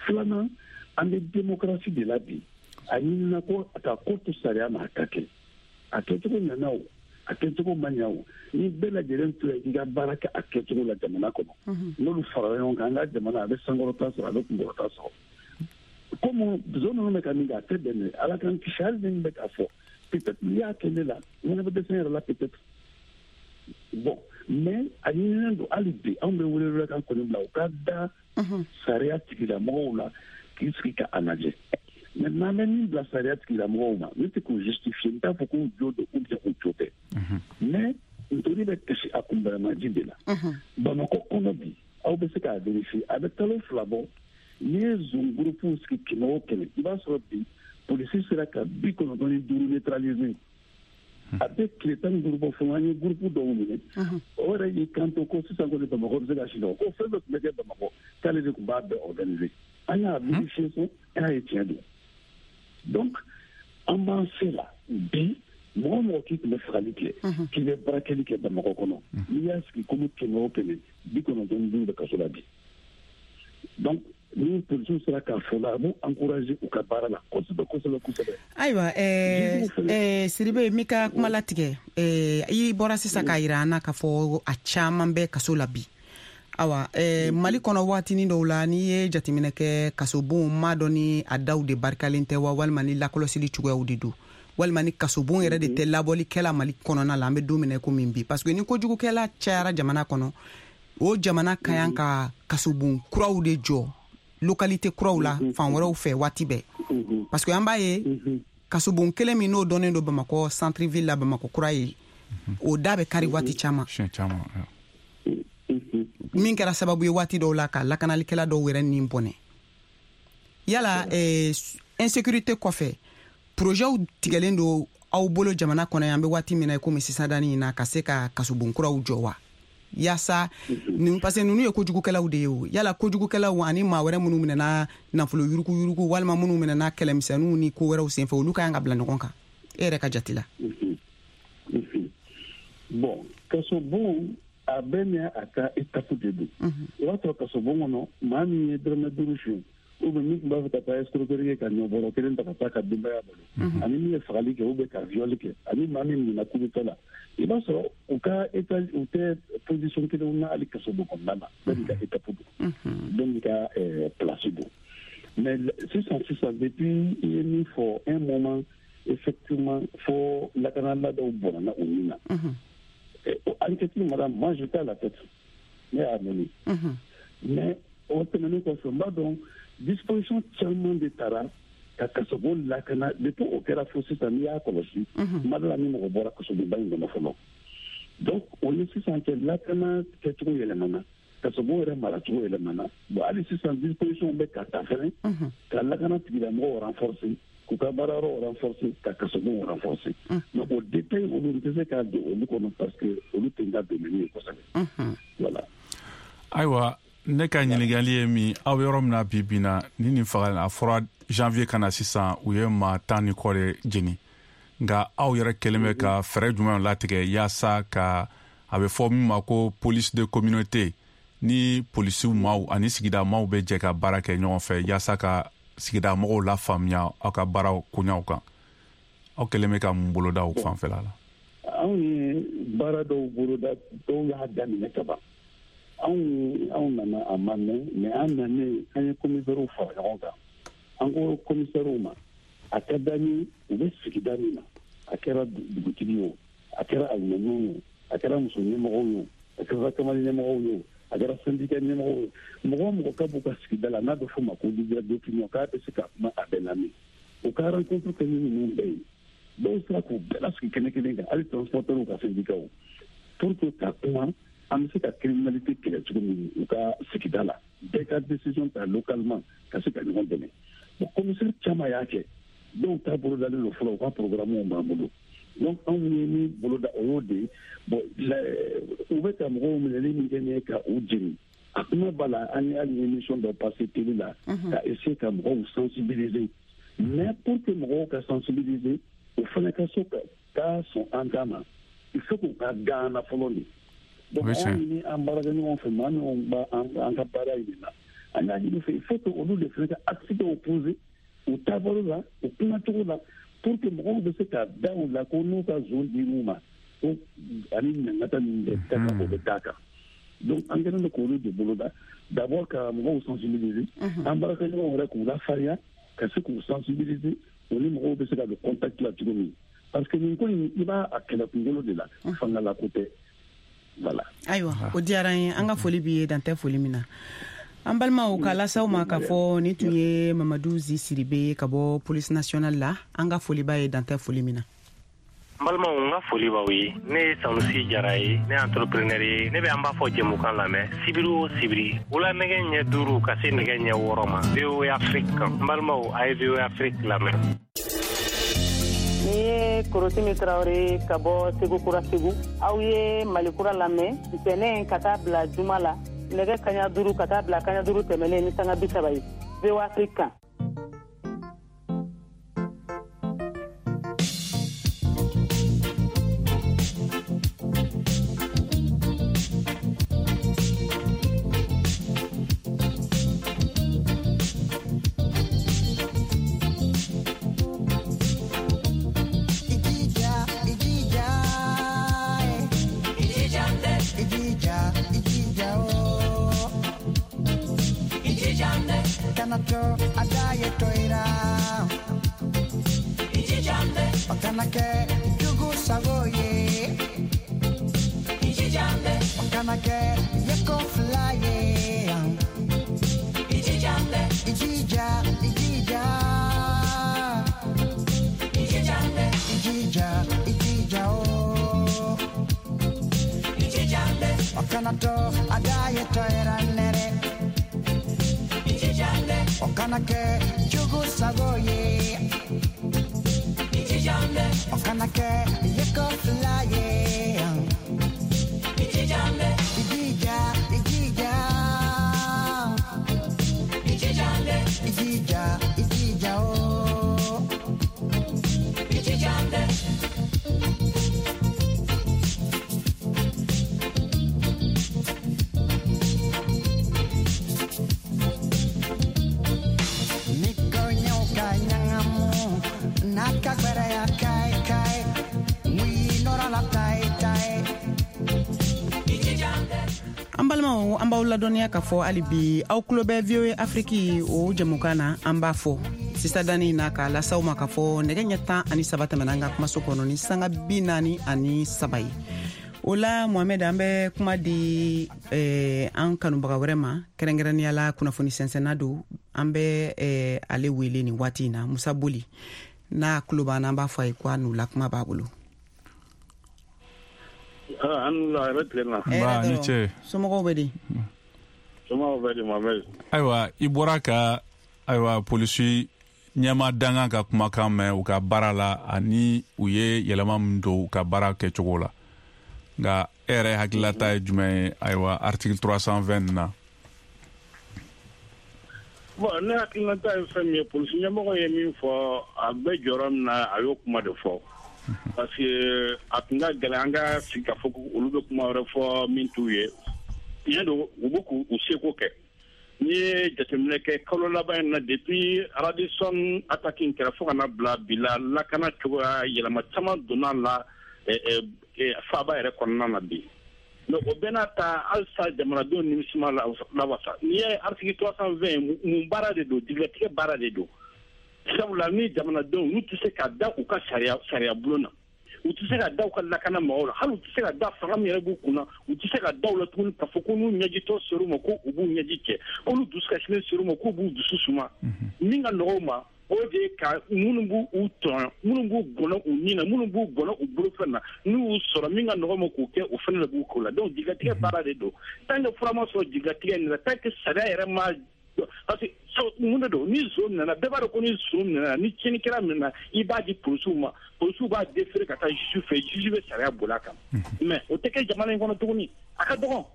S13: Filanan, an bɛ démocratie de la bi. A ɲinina ko ka ko to sariya ma, a ka kɛ. A kɛcogo ɲana o, a kɛcogo ma ɲa o, ni bɛɛ lajɛlen tora k'i ka baara kɛ a kɛcogo la jamana kɔnɔ, n'olu farala ɲɔgɔn kan, an ka jamana a bɛ sankɔrɔta sɔrɔ, a bɛ kunkɔrɔta sɔrɔ. Komi zon ninnu bɛ ka min kɛ, a tɛ bɛn dɛ. Ala k'an kisi. Hali ni min bɛ k'a fɔ, peut-être n'i y'a kɛ ne la, n fana bɛ dɛsɛ n yɛrɛ la peut-être. Bon, mais a ɲininen don hali bi, anw bɛ welewelekan kɔni bila u ka da sariya tigilamɔgɔw la k'i sigi ka a lajɛ. Mais n'an bɛ min bila sariya tigilamɔgɔw ma, ne tɛ k'u justifier, n t'a fɔ k'u jo don ou bien u jo tɛ, mais ntori bɛ kasi a kunbɛrɛmaji de la. Bamakɔ kɔnɔ bi, aw bɛ se k'a vérifier, a bɛ kalo 2 bɔ, n'i ye zon groupe sigi 100 o 100, i b'a sɔrɔ bi polisi sera ka 95 neutraliser. A bɛ tile 15 bɔ fɔlɔ, an ye groupe dɔw minɛ. O yɛrɛ y'i kanto ko sisan kɔni Bamakɔ bɛ se ka sunɔgɔ, ko fɛn bɛɛ tun bɛ kɛ Bamakɔ, k'ale de tun b'a bɛɛ organiser. An y'a vérifier so, k'a ye tiɲɛ don. Donc an b'an se la bi, mɔgɔ o mɔgɔ k'i tun bɛ fagali kɛ, k'i bɛ baarakɛli kɛ Bamakɔ kɔnɔ, n'i y'a sigi komi 100 o 100, 95 bɛ kaso la bi. Donc ni polisiw sera k'a fɔ la, a b'u encourager u ka baara la kosɛbɛ kosɛbɛ kosɛbɛ.
S5: Ayiwa, Sidibe, n b'i ka kuma latigɛ. I bɔra sisan k'a yira an na k'a fɔ a caman bɛ kaso la bi. Awa, Mali kɔnɔ, waatinin dɔw la, n'i ye jateminɛ kɛ, kasobon m'a dɔn ni a daw de barikalen tɛ wa, walima ni lakɔlɔsili cogoyaw de don, walima ni kasobon yɛrɛ de tɛ labɔlikɛla Mali kɔnɔna la. An bɛ don min na komi bi, parce que ni kojugukɛla cayara jamana kɔnɔ, o jamana ka kan ka kasobon kuraw de jɔ localité kuraw la, fan wɛrɛw fɛ waati bɛɛ, parce que an b'a ye kasobon kelen min n'o dɔnnen don Bamakɔ centre ville la, Bamakɔ kura ye, o da bɛ kari waati caman, min kɛra sababu ye waati dɔw la ka lakanalikɛla dɔw yɛrɛ nin bɔnɛ. Yala insécurité kɔfɛ, projetw tigɛlen don aw bolo jamana kɔnɔ yan, an bɛ waati min na komi sisan dani in na, ka se ka kasobon kuraw jɔ wa, yaasa, parce que ninnu ye kojugukɛlaw de ye o? Yala kojugukɛlaw ani maa wɛrɛ minnu minɛna nafolo yuruguyurugu, walima minnu minɛna kɛlɛmisɛnninw ni ko wɛrɛw senfɛ, olu ka kan ka bila ɲɔgɔn kan, e yɛrɛ ka jate la?
S13: Bon, kasobon a bɛɛ ni a ka étape de don. O b'a sɔrɔ kasobon kɔnɔ, maa min ye dɔrɔmɛ 5 suɲɛ, ou bien min tun b'a fɛ ka taa escroquerie kɛ ka ɲɔbɔrɔ kelen ta ka taa ka denbaya balo, ani min ye fagali kɛ ou bien ka viol kɛ, ani maa min minɛna coup d'état la, i b'a sɔrɔ u ka état u tɛ position kelenw na hali kasobon kɔnɔna na. Bɛɛ n'i ka étape don, bɛɛ n'i ka place don. Mais sisan sisan, depuis i ye min fɔ, un moment effectivement, fo lakanala dɔw bɔnna u ni na. Enquête madame, moi j'étais à la tête, ne y'a mené. Mais o tɛmɛnen kɔfɛ, n b'a dɔn disposition caman de taara ka kasobon lakana. Depuis o kɛra fo sisan, n'i y'a kɔlɔsi, ma dɔ la ni mɔgɔ bɔra kasobonba in kɔnɔ fɔlɔ. Donc o ni sisan cɛ, lakana kɛcogo yɛlɛmana, kasobon yɛrɛ maracogo yɛlɛmana. Bon, hali sisan disposition bɛ ka ta fɛnɛ ka lakana tigilamɔgɔw renforcer, k'u ka baarayɔrɔw renforcer, ka kasobonw renforcer. Mais o détail olu, n tɛ se k'a don olu kɔnɔ parce que olu tɛ n ka domaine ye kosɛbɛ. Voilà.
S6: Ayiwa, ne ka ɲininkali ye min, aw bɛ yɔrɔ min na bi bi na, ni nin faga a fɔra janvier ka na sisan, u ye maa 10 ni kɔ de jeni, nka aw yɛrɛ kɛlen bɛ ka fɛɛrɛ jumɛn latigɛ yaasa ka a bɛ fɔ min ma ko police de communauté, ni polisiw maaw ani sigida maaw bɛ jɛ ka baara kɛ ɲɔgɔn fɛ yaasa ka sigida mɔgɔw lafaamuya aw ka baaraw koɲaw kan, aw kɛlen bɛ ka mun boloda o fanfɛla la?
S13: Anw ye baara dɔw boloda, dɔw y'a daminɛ ka ban. Anw nana a ma mɛn, mais an nanen, an ye commissaires fara ɲɔgɔn kan. An ko commissaires ma, A ka d'an ye u bɛ sigida min na, a kɛra dugutigi ye o, a kɛra alimamiw ye o, a kɛra muso ɲɛmɔgɔw ye o, a kɛra kamalen ɲɛmɔgɔw ye o, a kɛra syndicat ɲɛmɔgɔw ye, mɔgɔ o mɔgɔ ka b'u ka sigida la n'a bɛ f'o ma ko leader d'opinion, k'a bɛ se ka kuma a bɛɛ lamɛn, u ka rencontre kɛ ni ninnu bɛɛ ye. Dɔw sera k'u bɛɛ lasigi kɛnɛ kelen kan, hali transporteurs ka syndicat, pour que ka kuma an bɛ se ka criminalité kɛlɛ cogo min u ka sigida la, bɛɛ ka décision ta localement ka se ka ɲɔgɔn dɛmɛ. Bon, commissaire caman y'a kɛ, dɔw ta bolodalen don fɔlɔ, u ka programme b'an bolo. Donc anw ye min boloda o y'o de ye. Bon, u bɛ ka mɔgɔw minɛli min kɛ nin ye ka u jeni, a kuma b'a la, an ye hali émission dɔ passer télé la ka essayer ka mɔgɔw sensibiliser. Mais pour que mɔgɔw ka sensibiliser, o fana ka so ka sɔn an ta ma, il faut k'u ka gan na fɔlɔ de. Donc an y'a ɲini an baarakɛɲɔgɔn fɛ, maa minnu b'an ka baara in na, an y'a ɲini fɛ, il faut que olu de fana ka acte dɔw poser u taabolo la, u kumacogo la, pour que mɔgɔw bɛ se ka da u la ko n'u ka zon dir'u ma ko ani ɲangata min bɛ ka kan, o bɛ d'a kan. Donc an kɛlen don k'olu de boloda, d'abord ka mɔgɔw sensibiliser, an baarakɛɲɔgɔnw yɛrɛ k'u lafarinya ka se k'u sensibiliser, o ni mɔgɔw bɛ se ka don contact la cogo min, parce que nin ko in, i b'a a kɛlɛ kunkolo de la, fangala ko tɛ. Voilà.
S5: Ayiwa, o diyara an ye, an ka foli b'i ye, dan tɛ foli min na. An balimaw, k'a las'aw ma k'a fɔ nin tun ye Mamadu Zi Siribe ka bɔ police nationale la. An ka foli b'a ye, dan tɛ foli min na.
S14: N balimaw, n ka foli b'aw ye. Ne ye Sanusi Jara ye, ne ye entrepreneur ye. Ne bɛ an b'a fɔ jɛmukan lamɛn sibiri o sibiri, wula nɛgɛ ɲɛ 5 ka se nɛgɛ ɲɛ 6 ma, VOA Afrique kan. N balimaw, a ye VOA Afrique lamɛn.
S3: Ni ye Korotimi Tarawele ka bɔ Segu Kura Segu. Aw ye Mali Kura lamɛn ntɛnɛn ka taa bila juma la, nɛgɛ kaɲa 5 ka taa bila kaɲa 5 tɛmɛnen ni sanga 30 ye, VOA Afrique kan.
S5: An balimaw, an b'aw ladɔnniya k'a fɔ hali bi aw tulo bɛ VOA Afrique o jɛmukan na. An b'a fɔ sisan danni na k'a las'aw ma k'a fɔ nɛgɛ ɲɛ 13 tɛmɛna an ka kumaso kɔnɔ ni sanga 43 ye. O la, Mohamed, an bɛ kuma di an kanubaga wɛrɛ ma, kɛrɛnkɛrɛnnenya la kunnafoni sɛnsɛnna don. An bɛ ale wele nin waati in na, Musa Boli. N'a tulo b'an na, an b'a fɔ a ye ko a n'u la kuma b'a bolo.
S8: An la yɛrɛ tile na.
S6: Nba, ni ce.
S5: Somɔgɔw bɛ di?
S8: Somɔgɔw bɛ di, Mohamed?
S6: Ayiwa, i bɔra ka, ayiwa, polisi ɲɛma dangan ka kumakan mɛn u ka baara la, ani u ye yɛlɛma min don u ka baara kɛcogo la. Nka e yɛrɛ hakililata ye jumɛn ye, ayiwa, article 320 na?
S8: Bon, ne hakilinata ye fɛn min ye, polisi ɲɛmɔgɔ ye min fɔ, a bɛ jɔyɔrɔ min na, a y'o kuma de fɔ. Parce que a tun ka gɛlɛn an ka sigi k'a fɔ ko olu bɛ kuma wɛrɛ fɔ min t'u ye. Tiɲɛ don, u bɛ k'u seko kɛ. N'i ye jateminɛ kɛ kalo laban in na, depuis Radisson attaque in kɛra fo ka na bila bi la, lakana cogoya yɛlɛma caman donna la faaba yɛrɛ kɔnɔna na bi. Mais o bɛɛ n'a ta, halisa jamanadenw nimisi ma lawasa. N'i ye article 320, mun baara de don? Jigilatigɛ baara de don. Sabula ni jamanadenw n'u tɛ se ka da u ka sariya bulon na, u tɛ se ka da u ka lakana mɔgɔw la, hali u tɛ se ka da fanga min yɛrɛ b'u kunna, u tɛ se ka da u la tuguni k'a fɔ ko n'u ɲɛjitɔ ser'u ma ko u b'u ɲɛji cɛ, ko n'u dusu kasilen ser'u ma k'u b'u dusu suma. Min ka nɔgɔ u ma, o de ye ka minnu b'u tɔɲɔ, minnu b'u gɔnɔ u ni na, minnu b'u gɔnɔ u bolofɛn na, n'u y'u sɔrɔ min ka nɔgɔ ma k'o kɛ, o fana de b'u ko la. Donc jigilatigɛ baara de don. Tant que fura ma sɔrɔ jigilatigɛ in na, tant que sariya yɛrɛ ma, parce que mun de don, ni zon nana, bɛɛ b'a dɔn ko ni zon nana, ni tiɲɛnikɛla minɛna, i b'a di polisiw ma, polisiw b'a déférer ka taa juge fɛ, juge bɛ sariya boli a kan. Mais o tɛ kɛ jamana in kɔnɔ tuguni, a ka dɔgɔn.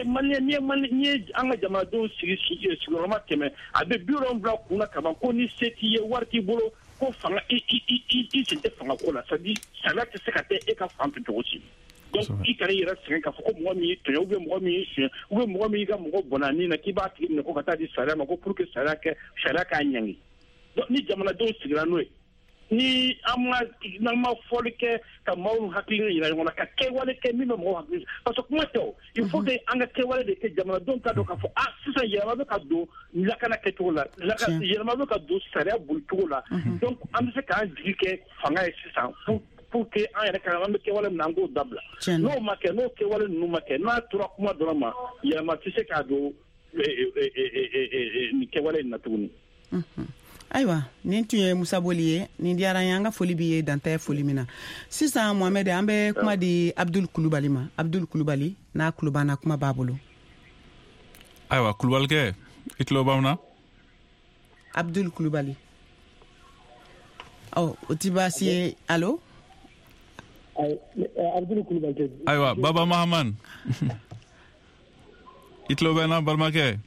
S8: Maliyɛn, n'i ye an ka jamanadenw sigi sigiyɔrɔma 100, a bɛ 70 kunna kaban ko ni se t'i ye, wari t'i bolo, ko fanga i sen tɛ fanga ko la, c'est à dire sariya tɛ se ka kɛ e ka fan fɛ cogo si. Donc i kana i yɛrɛ sɛgɛn k'a fɔ ko mɔgɔ min y'i tɔɲɔ, ou bien mɔgɔ min y'i suɲɛ, ou bien mɔgɔ min y'i ka mɔgɔ bɔnna a ni na, k'i b'a tigi minɛ ko ka taa di sariya ma, ko pour que sariya k'a ɲangi. Donc ni jamanadenw sigira n'o ye, ni n'an ma fɔli kɛ ka maaw hakili yira ɲɔgɔn na, ka kɛwale kɛ min bɛ mɔgɔw hakili, parce que kuma tɛ o, il faut que an ka kɛwale de kɛ, jamanadenw ka dɔn k'a fɔ sisan yɛlɛma bɛ ka don lakana kɛcogo la, yɛlɛma bɛ ka don sariya bolicogo la. Donc an bɛ se k'an jigi kɛ fanga ye sisan pour que an yɛrɛ ka an bɛ kɛwale min na, an k'o dabila. N'o ma kɛ, n'o kɛwale ninnu ma kɛ, n'a tora kuma dɔrɔn ma, yɛlɛma tɛ se k'a don nin kɛwale in na tuguni.
S5: Ayiwa, nin tun ye Musa Boli ye. Nin diyara an ye, an ka foli b'i ye, dan tɛ foli min na. Sisan Mohamed, an bɛ kuma di Abdul Kulubali ma. Abdul Kulubali n'a tulo b'an na, kuma b'a bolo.
S6: Ayiwa Kulubalikɛ, i tulo b'anw na?
S5: Abdul Kulubali. Ɔ, o ti baasi ye. Allo?
S13: Abdul Kulubali.
S6: Ayiwa Baba Mahaman, i tulo bɛ n na balimakɛ?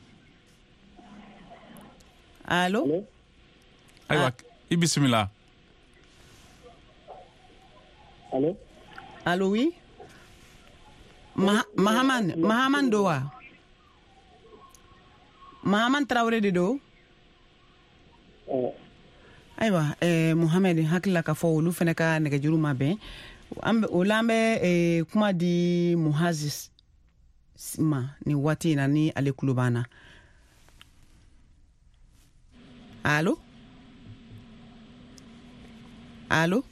S5: Allo?
S6: Ayiwa, i bisimila.
S13: Allo?
S5: Allo, oui? Mahaman don wa? Mahaman Traoré de don? Ayiwa, Mohamed, hakili la k'a fɔ olu fana ka nɛgɛjuru ma bɛn. O la an bɛ kuma di Muhazi ma nin waati in na, ni ale tulo b'an na. Allo? Allo?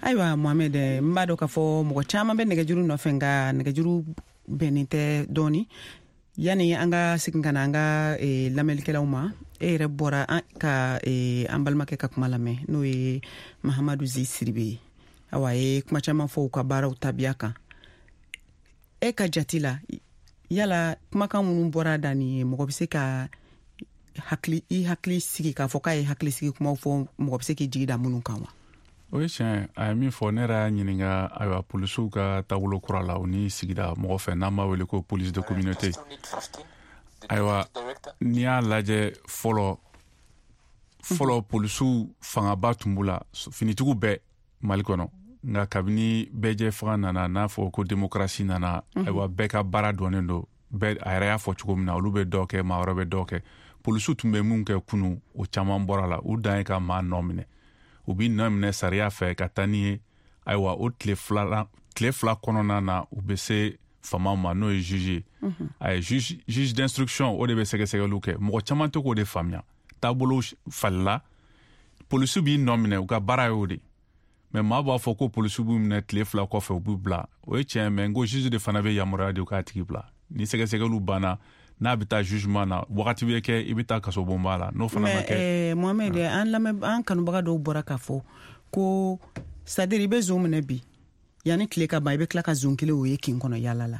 S5: Ayiwa Mohamed, n b'a dɔn k'a fɔ mɔgɔ caman bɛ nɛgɛjuru nɔfɛ, nka nɛgɛjuru bɛnnen tɛ dɔɔni. Yanni an ka segin ka na an ka lamɛnnikɛlaw ma, e yɛrɛ bɔra ka an balimakɛ ka kuma lamɛn, n'o ye Mahamadu Zi Siribe ye. Awa, a ye kuma caman fɔ u ka baaraw tabiya kan. E ka jate la, yala kumakan minnu bɔra da nin ye, mɔgɔ bɛ se ka i hakili sigi k'a fɔ k'a ye hakili sigi kumaw fɔ, mɔgɔ bɛ se k'i jigi da minnu kan wa?
S6: O ye tiɲɛ, a ye min fɔ, ne yɛrɛ y'a ɲininka, ayiwa polisiw ka taabolo kura la, u ni sigida mɔgɔ fɛ, n'an b'a wele ko police de communauté. Ayiwa, n'i y'a lajɛ fɔlɔ polisiw fangaba tun b'u la, finitigiw bɛɛ Mali kɔnɔ. Nka kabini bɛɛjɛ fanga nana, n'a fɔ ko démocratie nana, ayiwa bɛɛ ka baara dɔnnen don. Bɛɛ a yɛrɛ y'a fɔ cogo min na, olu bɛ dɔ kɛ, maa wɛrɛ bɛ dɔ kɛ. Polisiw tun bɛ mun kɛ kunun, o caman bɔra la. U dan ye ka maa nɔ minɛ. U b'i nɔ minɛ sariya fɛ ka taa n'i ye. Ayiwa, o tile fila kɔnɔna na, u bɛ se faamaw ma, n'o ye juge ye. A ye juge d'instruction, o de bɛ sɛgɛsɛgɛliw kɛ. Mɔgɔ caman tɛ k'o de faamuya. Taabolo falila, polisiw b'i nɔ minɛ, u ka baara y'o de. Mais maa b'a fɔ ko polisiw b'u minɛ tile 2 kɔfɛ, u b'u bila. O ye tiɲɛ, mais n ko juge de fana bɛ yamaruya di u k'a tigi bila. Ni sɛgɛsɛgɛliw banna, n'a bɛ taa jugement na, wagati bɛ kɛ i bɛ taa kasobonba la, n'o fana ma kɛ.
S5: Mais Mohamed, an kanubaga dɔw bɔra k'a fɔ ko c'est à dire i bɛ zon minɛ bi, yanni tile ka ban, i bɛ tila ka zon kelen o ye kin kɔnɔ yaala la.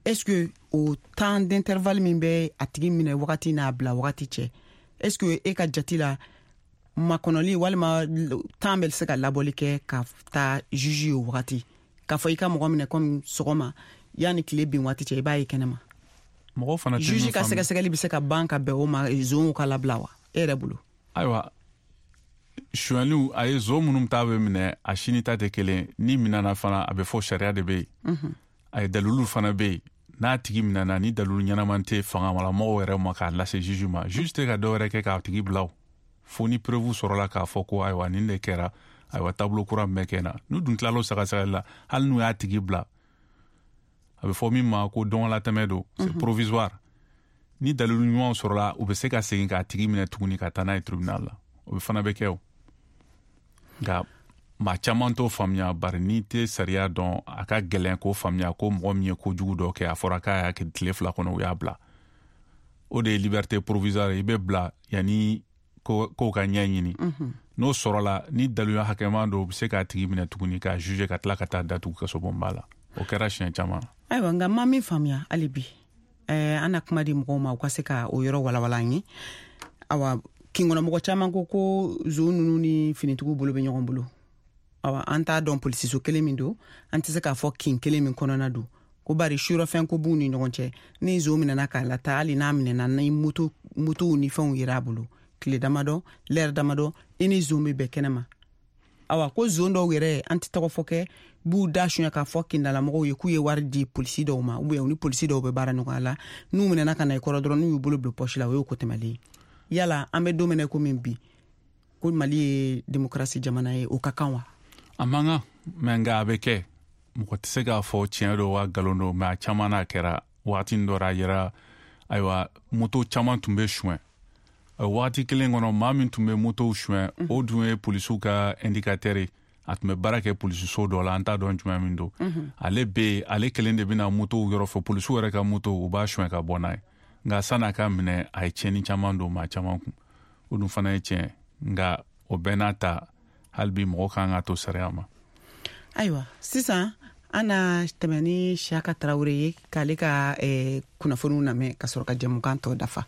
S5: Est-ce que o temps d'intervalle min bɛ a tigi minɛ wagati n'a bila wagati cɛ, est-ce que e ka jate la makɔnɔli walima temps bɛ se ka labɔli kɛ ka taa juge ye o wagati, k'a fɔ i ka mɔgɔ minɛ comme sɔgɔma yanni tile bin waati cɛ, i b'a ye kɛnɛma?
S6: Mɔgɔw fana tɛ
S5: juge ka sɛgɛsɛgɛli bɛ se ka ban ka bɛn o ma, zonw ka labila wa e yɛrɛ bolo?
S6: Ayiwa, sonyaliw, a ye zon minnu ta bɛ minɛ, a sini ta tɛ kelen. Ni minɛna fana, a bɛ fɔ sariya de bɛ yen. A ye dalilu fana bɛ yen. N'a tigi minɛna, ni dalilu ɲɛnama tɛ fangalamɔgɔw yɛrɛ ma k'a lase juge ma, juge tɛ ka dɔ wɛrɛ kɛ k'a tigi bila o. Fo ni preuve sɔrɔla k'a fɔ ko ayiwa nin de kɛra, ayiwa taabolo kura min bɛ kɛ na. N'u dun tilal'o sɛgɛsɛgɛli la, hali n'u y'a tigi bila, a bɛ fɔ min ma ko dɔnwalatɛmɛ don, c'est provisoire. Ni dalilu ɲumanw sɔrɔla, u bɛ se ka segin k'a tigi minɛ tuguni ka taa n'a ye tribunal la. O fana bɛ kɛ o. Nka maa caman t'o faamuya, bari n'i tɛ sariya dɔn, a ka gɛlɛn k'o faamuya ko mɔgɔ min ye kojugu dɔ kɛ, a fɔra k'a y'a kɛ tile 2 kɔnɔ, u y'a bila. O de ye liberté provisoire, i bɛ bila yanni kow ka ɲɛ ɲini. N'o sɔrɔla, ni daluya hakɛman don, u bɛ se k'a tigi minɛ tuguni k'a juger ka tila ka taa datugu kasobonba la. O kɛra siɲɛ caman.
S5: Ayiwa, nka ma min faamuya hali bi, an na kuma di mɔgɔw ma u ka se ka o yɔrɔ walawala an ye. Awa, kinkɔnɔmɔgɔ caman ko zon ninnu ni finitigiw bolo bɛ ɲɔgɔn bolo. Awa, an t'a dɔn polisiso kelen min don, an tɛ se k'a fɔ kin kelen min kɔnɔna don, ko bari surɔfɛn ko b'u ni ɲɔgɔn cɛ. Ni zon minɛna k'a lataa, hali n'a minɛna ni motow ni fɛnw yera a bolo tile damadɔ, lɛrɛ damadɔ, i ni zon bɛ bɛn kɛnɛ ma. Awa, ko zon dɔw yɛrɛ, an tɛ tɔgɔ fɔ kɛ, b'u da suɲɛ k'a fɔ kindalamɔgɔw ye k'u ye wari di polisi dɔw ma, ou bien u ni polisi dɔw bɛ baara ɲɔgɔn la. N'u minɛna ka na i kɔrɔ dɔrɔn, n'u y'u bolo bila pɔsi la, o y'o ko tɛmɛlen ye. Yala an bɛ don min na komi bi, ko Mali ye démocratie jamana ye, o ka kan wa?
S6: A man kan, mɛ nka a bɛ kɛ. Mɔgɔ tɛ se k'a fɔ tiɲɛ don wa nkalon don, mɛ a caman n'a kɛra. Waati dɔ la a yɛrɛ, ayiwa, moto caman tun bɛ suɲɛ waati kelen kɔnɔ. Maa min tun bɛ motow suɲɛ, o dun ye polisiw ka indicateur ye. A tun bɛ baara kɛ polisiso dɔ la, an t'a dɔn jumɛn min don. Ale bɛ yen, ale kelen de bɛna motow yɔrɔ fɔ, polisiw yɛrɛ ka moto, u b'a suɲɛ ka bɔ n'a ye. Nka san'a ka minɛ, a ye tiɲɛni caman don maa caman kun. O dun fana ye tiɲɛ, nka o bɛɛ n'a ta, hali bi mɔgɔ kan ka to sariya ma.
S5: Ayiwa, sisan an na tɛmɛ ni Siyaka Tarawele ye k'ale ka kunnafoniw lamɛn ka sɔrɔ ka jɛmukan tɔ dafa.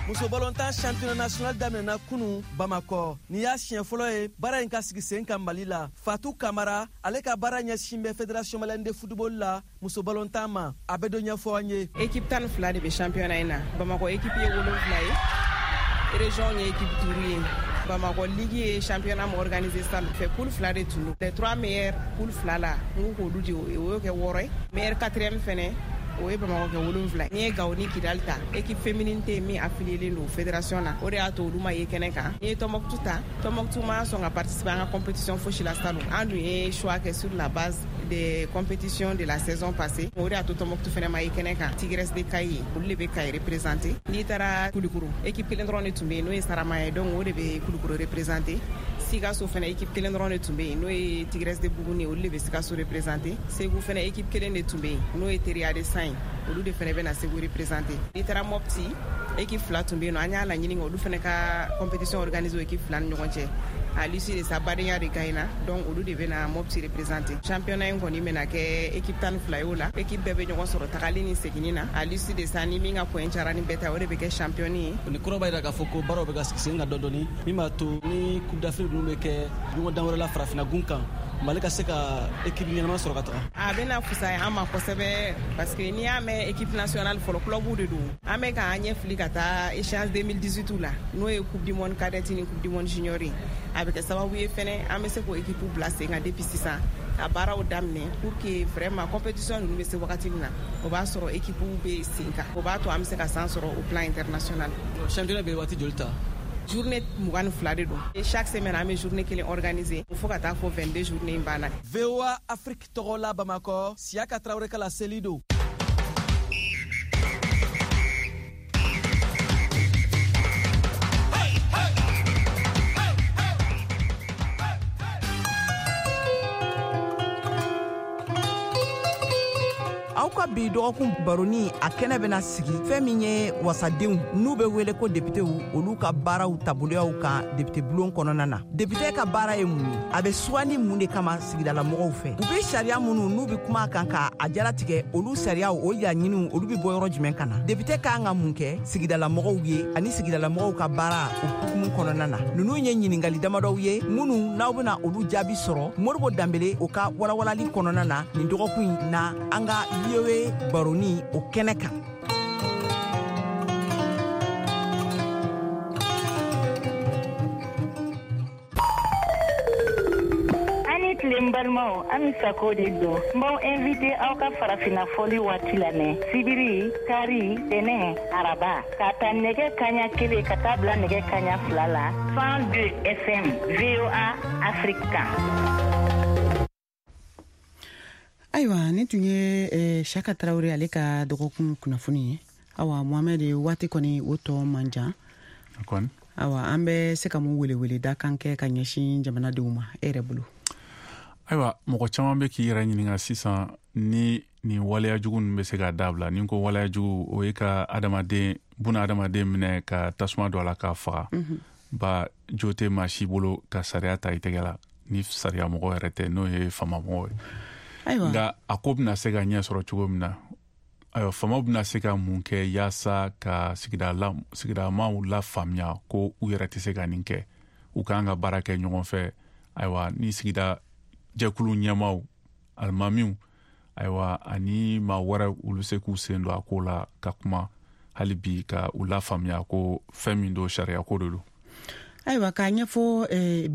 S15: Muso balontan championnat national daminɛna kunu Bamakɔ. Nin y'a siɲɛ fɔlɔ ye baara in ka sigi sen kan Mali la. Fatou Kamara, ale ka baara ɲɛsin bɛ Fédération malienne de football la muso balontan ma. A bɛ dɔ ɲɛfɔ an ye.
S16: Équipe 12 de bɛ championnat in na. Bamakɔ équipe ye 7 ye, région ye équipe 5 ye. Bamakɔ ligue ye championnat min organisé salon fɛ, poule 2 de tun don. Les 3 meilleurs poule 2 la, n ko k'olu di, o y'o kɛ 6 ye. Meilleur 4e fɛnɛ, o ye Bamakɔ kɛ 7. N'i ye Gawo ni Kidali ta, équipe féminine tɛ yen min affilié don fédération na, o de y'a to olu ma ye kɛnɛ kan. N'i ye Tɔnbɔkutu ta, Tɔnbɔkutu ma sɔn ka participer an ka compétition fosi la salon. An dun ye choix kɛ sur la base des compétitions de la saison passée, o de y'a to Tɔnbɔkutu fɛnɛ ma ye kɛnɛ kan. Tigresse de Kayi, olu de bɛ Kayi représenter. N'i taara Kulukoro, équipe kelen dɔrɔn de tun bɛ yen, n'o ye Sarama ye, donc o de bɛ Kulukoro représenter. Sikaso fɛnɛ équipe kelen dɔrɔn de tun bɛ yen, n'o ye Tigresse de Buguni, olu de bɛ Sikaso représenter. Segu fɛnɛ équipe kelen de tun bɛ yen, n'o ye Teriya de San ye, olu de fɛnɛ bɛna Segu représenter. N'i taara Mopti, équipe 2 tun bɛ yen nɔ, an y'a laɲini olu fɛnɛ ka compétition organiser équipe 2 ni ɲɔgɔn cɛ. À l'issue de ça, badenya de gagnera, donc olu de bɛna Mopti représenter. Championnat in kɔni bɛna kɛ équipe 12 ye o la, équipe bɛɛ bɛ ɲɔgɔn sɔrɔ tagali ni seginni na. À l'issue de ça, ni min ka point cayara ni bɛɛ ta, o de bɛ kɛ champion ye.
S15: Nin kɔrɔ b'a jira k'a fɔ ko baaraw bɛ ka sigi sen kan dɔɔni dɔɔni, min b'a to ni Coupe d'Afrique ninnu bɛ kɛ ɲɔgɔn dan wɛrɛ la farafinna gun kan, Mali ka se ka équipe ɲɛnama sɔrɔ ka taga.
S16: A bɛna fisaya an ma kosɛbɛ, parce que n'i y'a mɛn équipe nationale fɔlɔ, club de don. An bɛ k'an ɲɛ fili ka taa échéance 2018 la, n'o ye Coupe du monde cadette ni Coupe du monde junior ye. A bɛ kɛ sababu ye fɛnɛ an bɛ se k'o équipe bila sen kan depuis sisan, ka baaraw daminɛ pour que vraiment compétition ninnu bɛ se wagati min na, o b'a sɔrɔ équipe bɛ sen kan. O b'a to an bɛ se ka san sɔrɔ au plan international.
S15: Championnat bɛ waati joli ta?
S16: Journée 22 de don. Chaque semaine an bɛ journée kelen organiser fo ka taa fɔ 22 journée in banna.
S15: VOA Afrique tɔgɔ la Bamakɔ, Siyaka Tarawele ka laseli don.
S17: Aw ka bi dɔgɔkun baroni a kɛnɛ bɛna sigi fɛn min ye wasadenw n'u bɛ wele ko depitew, olu ka baaraw taaboloyaw kan depite bulon kɔnɔna na. Depite ka baara ye mun ye? A bɛ sugandi mun de kama sigidalamɔgɔw fɛ? U bɛ sariya minnu n'u bɛ kuma a kan ka a jalatigɛ, olu sariyaw o laɲiniw olu bɛ bɔ yɔrɔ jumɛn ka na? Depite ka kan ka mun kɛ sigidalamɔgɔw ye ani sigidalamɔgɔw ka baara o hukumu kɔnɔna na? Ninnu ye ɲininkali damadɔw ye minnu n'aw bɛna olu jaabi sɔrɔ Modibo Danbele o ka walawalali kɔnɔna na nin dɔgɔkun in na an ka VOA baroni o kɛnɛ kan.
S18: Ani tile n balimaw, Ami Sako de don. N b'aw invité aw ka farafinna fɔli waati lamɛn sibiri, kari, tɛnɛ, araba, k'a ta nɛgɛ kaɲa 1 ka taa bila nɛgɛ kaɲa 2 la 102 FM VOA Afrique kan.
S5: Ayiwa, nin tun ye Siyaka Tarawele ale ka dɔgɔkun kunnafoni ye. Awa Mohamɛd, waati kɔni o tɔ man jan. Awa, an bɛ se ka mun weleweleda kan kɛ ka ɲɛsin jamanadenw ma e yɛrɛ bolo?
S6: Ayiwa, mɔgɔ caman bɛ k'i yɛrɛ ɲininka sisan ni nin waleya jugu ninnu bɛ se ka dabila. Ni ko waleya jugu, o ye ka adamaden, buna adamaden minɛ ka tasuma don a la k'a faga. Ba jo tɛ maa si bolo ka sariya ta i tɛgɛ la ni sariya mɔgɔ yɛrɛ tɛ, n'o ye faama mɔgɔ ye. Nka a ko bɛna se ka ɲɛ sɔrɔ cogo min na, ayiwa, faamaw bɛna se ka mun kɛ yaasa ka sigidamaw lafaamuya ko u yɛrɛ tɛ se ka nin kɛ, u k'an ka baara kɛ ɲɔgɔn fɛ. Ayiwa, ni sigida jɛkulu ɲɛmaaw, alimamiw, ayiwa, ani maa wɛrɛ, olu se k'u sen don a ko la ka kuma hali bi ka u lafaamuya ko fɛn min don, sariya ko de don.
S5: Ayiwa, k'a ɲɛfɔ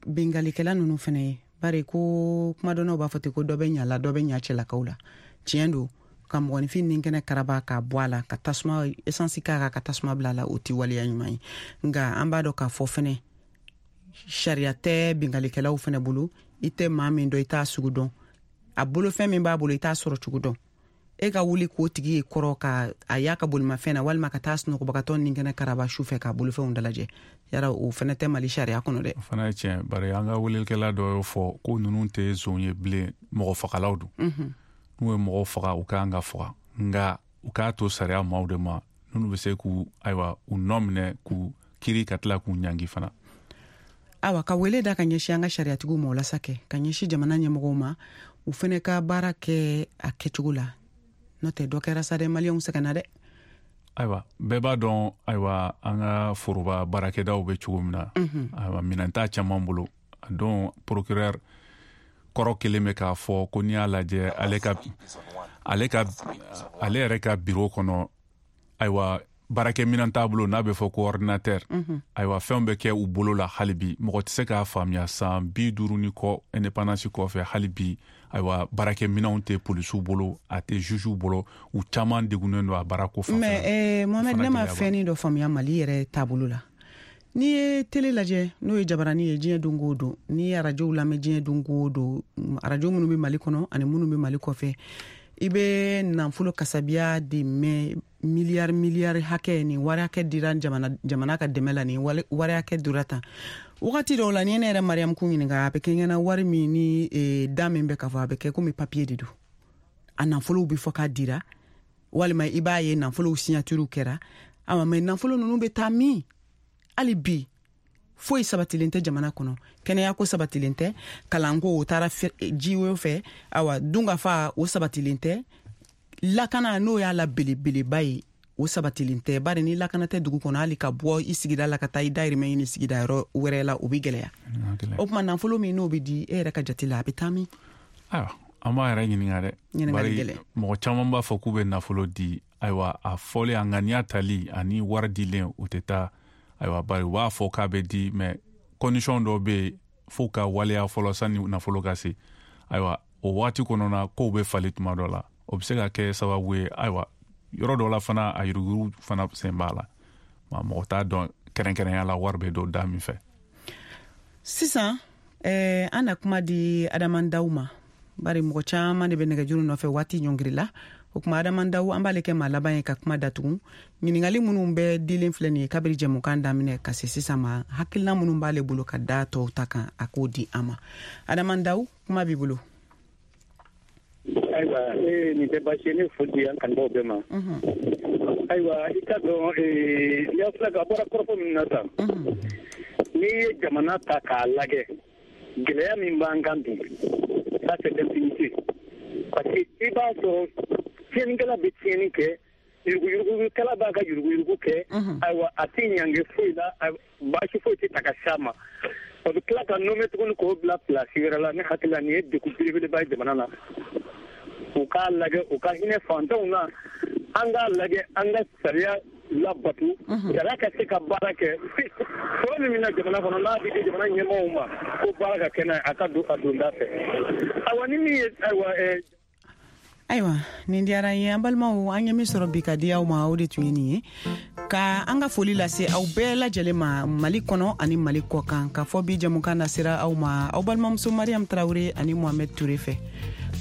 S5: bingalikɛla ninnu fɛnɛ ye, bari ko kumadɔnnaw b'a fɔ ten ko dɔ bɛ ɲa la, dɔ bɛ ɲa cɛlakaw la. Tiɲɛ don, ka mɔgɔninfin ni kɛnɛ karaba k'a bɔ a la, ka tasuma esansi k'a kan, ka tasuma bila a la, o tɛ waleya ɲuman ye. Nka an b'a dɔn k'a fɔ fɛnɛ sariya tɛ bingalikɛlaw fɛnɛ bolo. I tɛ maa min dɔn, i t'a sugu dɔn, a bolofɛn min b'a bolo, i t'a sɔrɔ cogo dɔn. E ka wuli k'o tigi ye kɔrɔ ka a y'a ka bolimafɛn na, walima ka taa sunɔgɔbagatɔ ni kɛnɛ karaba su fɛ k'a bolofɛnw dalajɛ, yara o fɛnɛ tɛ Mali sariya kɔnɔ dɛ.
S6: O fana ye tiɲɛ, bari an ka welelikɛla dɔ y'o fɔ ko ninnu tɛ zon ye bilen, mɔgɔ fagalaw don. N'u ye mɔgɔ faga, u ka kan ka faga, nka u k'a to sariya maaw de ma minnu bɛ se k'u, ayiwa, u nɔ minɛ, k'u kiri, ka tila k'u ɲangi fana.
S5: Awa, ka wele da ka ɲɛsin an ka sariyatigiw ma, o lasa kɛ ka ɲɛsin jamana ɲɛmɔgɔw ma, u fɛnɛ ka baara kɛ a kɛcogo la, n'o tɛ dɔ kɛra sa dɛ, maliyɛnw sɛgɛnna dɛ.
S6: Ayiwa, bɛɛ b'a dɔn, ayiwa, an ka foroba baarakɛdaw bɛ cogo min na. Ayiwa, minɛn t'a caman bolo. A don procureur kɔrɔ kelen bɛ k'a fɔ ko n'i y'a lajɛ, ale yɛrɛ ka bureau kɔnɔ, ayiwa, baarakɛminɛn t'a bolo n'a bɛ fɔ ko ordinateur. Ayiwa, fɛnw bɛ kɛ u bolo la hali bi, mɔgɔ tɛ se k'a faamuya, san 50 ni kɔ indépendance kɔfɛ, hali bi, ayiwa, baarakɛminɛnw tɛ polisiw bolo, a tɛ jugew bolo, u caman degunnen don a baarako fan fɛ.
S5: Mais Mohamed, ne ma fɛnnin dɔ faamuya Mali yɛrɛ taabolo la. N'i ye télé lajɛ, n'o ye jabarani ye diɲɛ don o don, n'i ye arajow lamɛn diɲɛ don o don, arajo minnu bɛ Mali kɔnɔ ani minnu bɛ Mali kɔfɛ, i bɛ nafolo kasabiya de mɛn, miliyari miliyari hakɛ, nin wari hakɛ dira jamana ka dɛmɛ la, nin wari hakɛ dira tan. Wagati dɔw la, ni ne yɛrɛ Mariam kun ɲininka, a bɛ kɛ ɲɛna wari min ni da min bɛ k'a fɔ, a bɛ kɛ komi papier de don. A nafolow bɛ fɔ k'a dira, walima i b'a ye nafolow signature kɛra. Awa, mais nafolo ninnu bɛ taa min? Hali bi foyi sabatilen tɛ jamana kɔnɔ, kɛnɛyako sabatilen tɛ, kalanko o taara jiwo fɛ, awa dunkafa o sabatilen tɛ, lakana n'o y'a la belebeleba ye o sabatilen tɛ. Bari ni lakana tɛ dugu kɔnɔ, hali ka bɔ i sigida la ka taa i dayirimɛ ɲini sigida yɔrɔ wɛrɛ la, o bɛ gɛlɛya. O tuma nafolo min n'o bɛ di e yɛrɛ ka jate la, a bɛ taa min?
S6: Ayiwa, an b'a yɛrɛ ɲininka dɛ.
S5: Ɲininkali gɛlɛn.
S6: Mɔgɔ caman b'a fɔ k'u bɛ nafolo di, ayiwa, a fɔlen, a ŋaniya tali ani wari dilen, o tɛ taa. Ayiwa, bari u b'a fɔ k'a bɛ di, mais condition dɔ bɛ yen fo ka waleya fɔlɔ sani nafolo ka se. Ayiwa, o waati kɔnɔna kow bɛ falen tuma dɔ la, o bɛ se ka kɛ sababu ye. Ayiwa, yɔrɔ dɔ la fana, a yuruguyurugu fana sen b'a la, mɔgɔ t'a dɔn kɛrɛnkɛrɛnya la wari bɛ don da min fɛ.
S5: Sisan an na kuma di Adama Daw ma, bari mɔgɔ caman de bɛ nɛgɛjuru nɔfɛ waati ɲɔngiri la. O tuma Adama Daw, an b'ale kɛ maa laban ye ka kuma datugu. Ɲininkali minnu bɛ dilen filɛ nin ye kabiri jɛmukan daminɛ ka se sisan ma, hakilina minnu b'ale bolo ka da tɔw ta kan, a k'o di an ma. Adama Daw, kuma b'i bolo.
S19: Ayiwa, nin tɛ baasi ye, ne foli di an kanubaaw bɛɛ ma. Ayiwa, i ka dɔn, n'i filɛ ka bɔra kɔrɔfɔ min na tan, n'i ye jamana ta k'a lajɛ, gɛlɛya min b'an kan bi, ça c'est l'impunité. Parce que i b'a sɔrɔ tiɲɛnikɛla bɛ tiɲɛni kɛ, yuruguyurugukɛla b'a ka yuruguyurugu kɛ, ayiwa, a tɛ ɲange foyi la, baasi foyi tɛ ta ka s'a ma. O bɛ tila ka nommer tuguni k'o bila place wɛrɛ la. Ne hakili la, nin ye degun belebeleba ye jamana na. U k'a lajɛ, u ka hinɛ fantanw na, an k'a lajɛ, an ka sariya labato, sariya ka se ka baara kɛ. Sɔrɔ min bɛ na jamana kɔnɔ, n'a bɛ di jamana ɲɛmaaw ma ko baara ka kɛ n'a ye, a ka don a donda fɛ. Ayiwa, ni min ye, ayiwa,
S5: Ayiwa, nin diyara n ye. An balimaw, an ye min sɔrɔ bi ka di aw ma, o de tun ye nin ye. Ka an ka foli lase aw bɛɛ lajɛlen ma Mali kɔnɔ ani Mali kɔ kan, k'a fɔ bi jɛmukan nasera aw ma aw balimamuso Mariam Tarawele ani Mohamed Touré fɛ.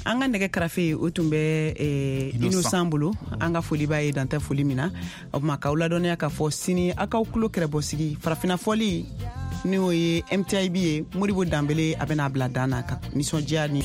S5: An ka nɛgɛ karafe, o tun bɛ Innocent bolo. An ka foli b'a ye, dantɛ foli min na. O tuma, k'aw ladɔnniya k'a fɔ sini, aw k'aw tulo kɛrɛbɔ sigi Farafina fɔli, n'o ye MTIB ye. Modibo Danbele, a bɛna bila dan na ka nisɔndiya ni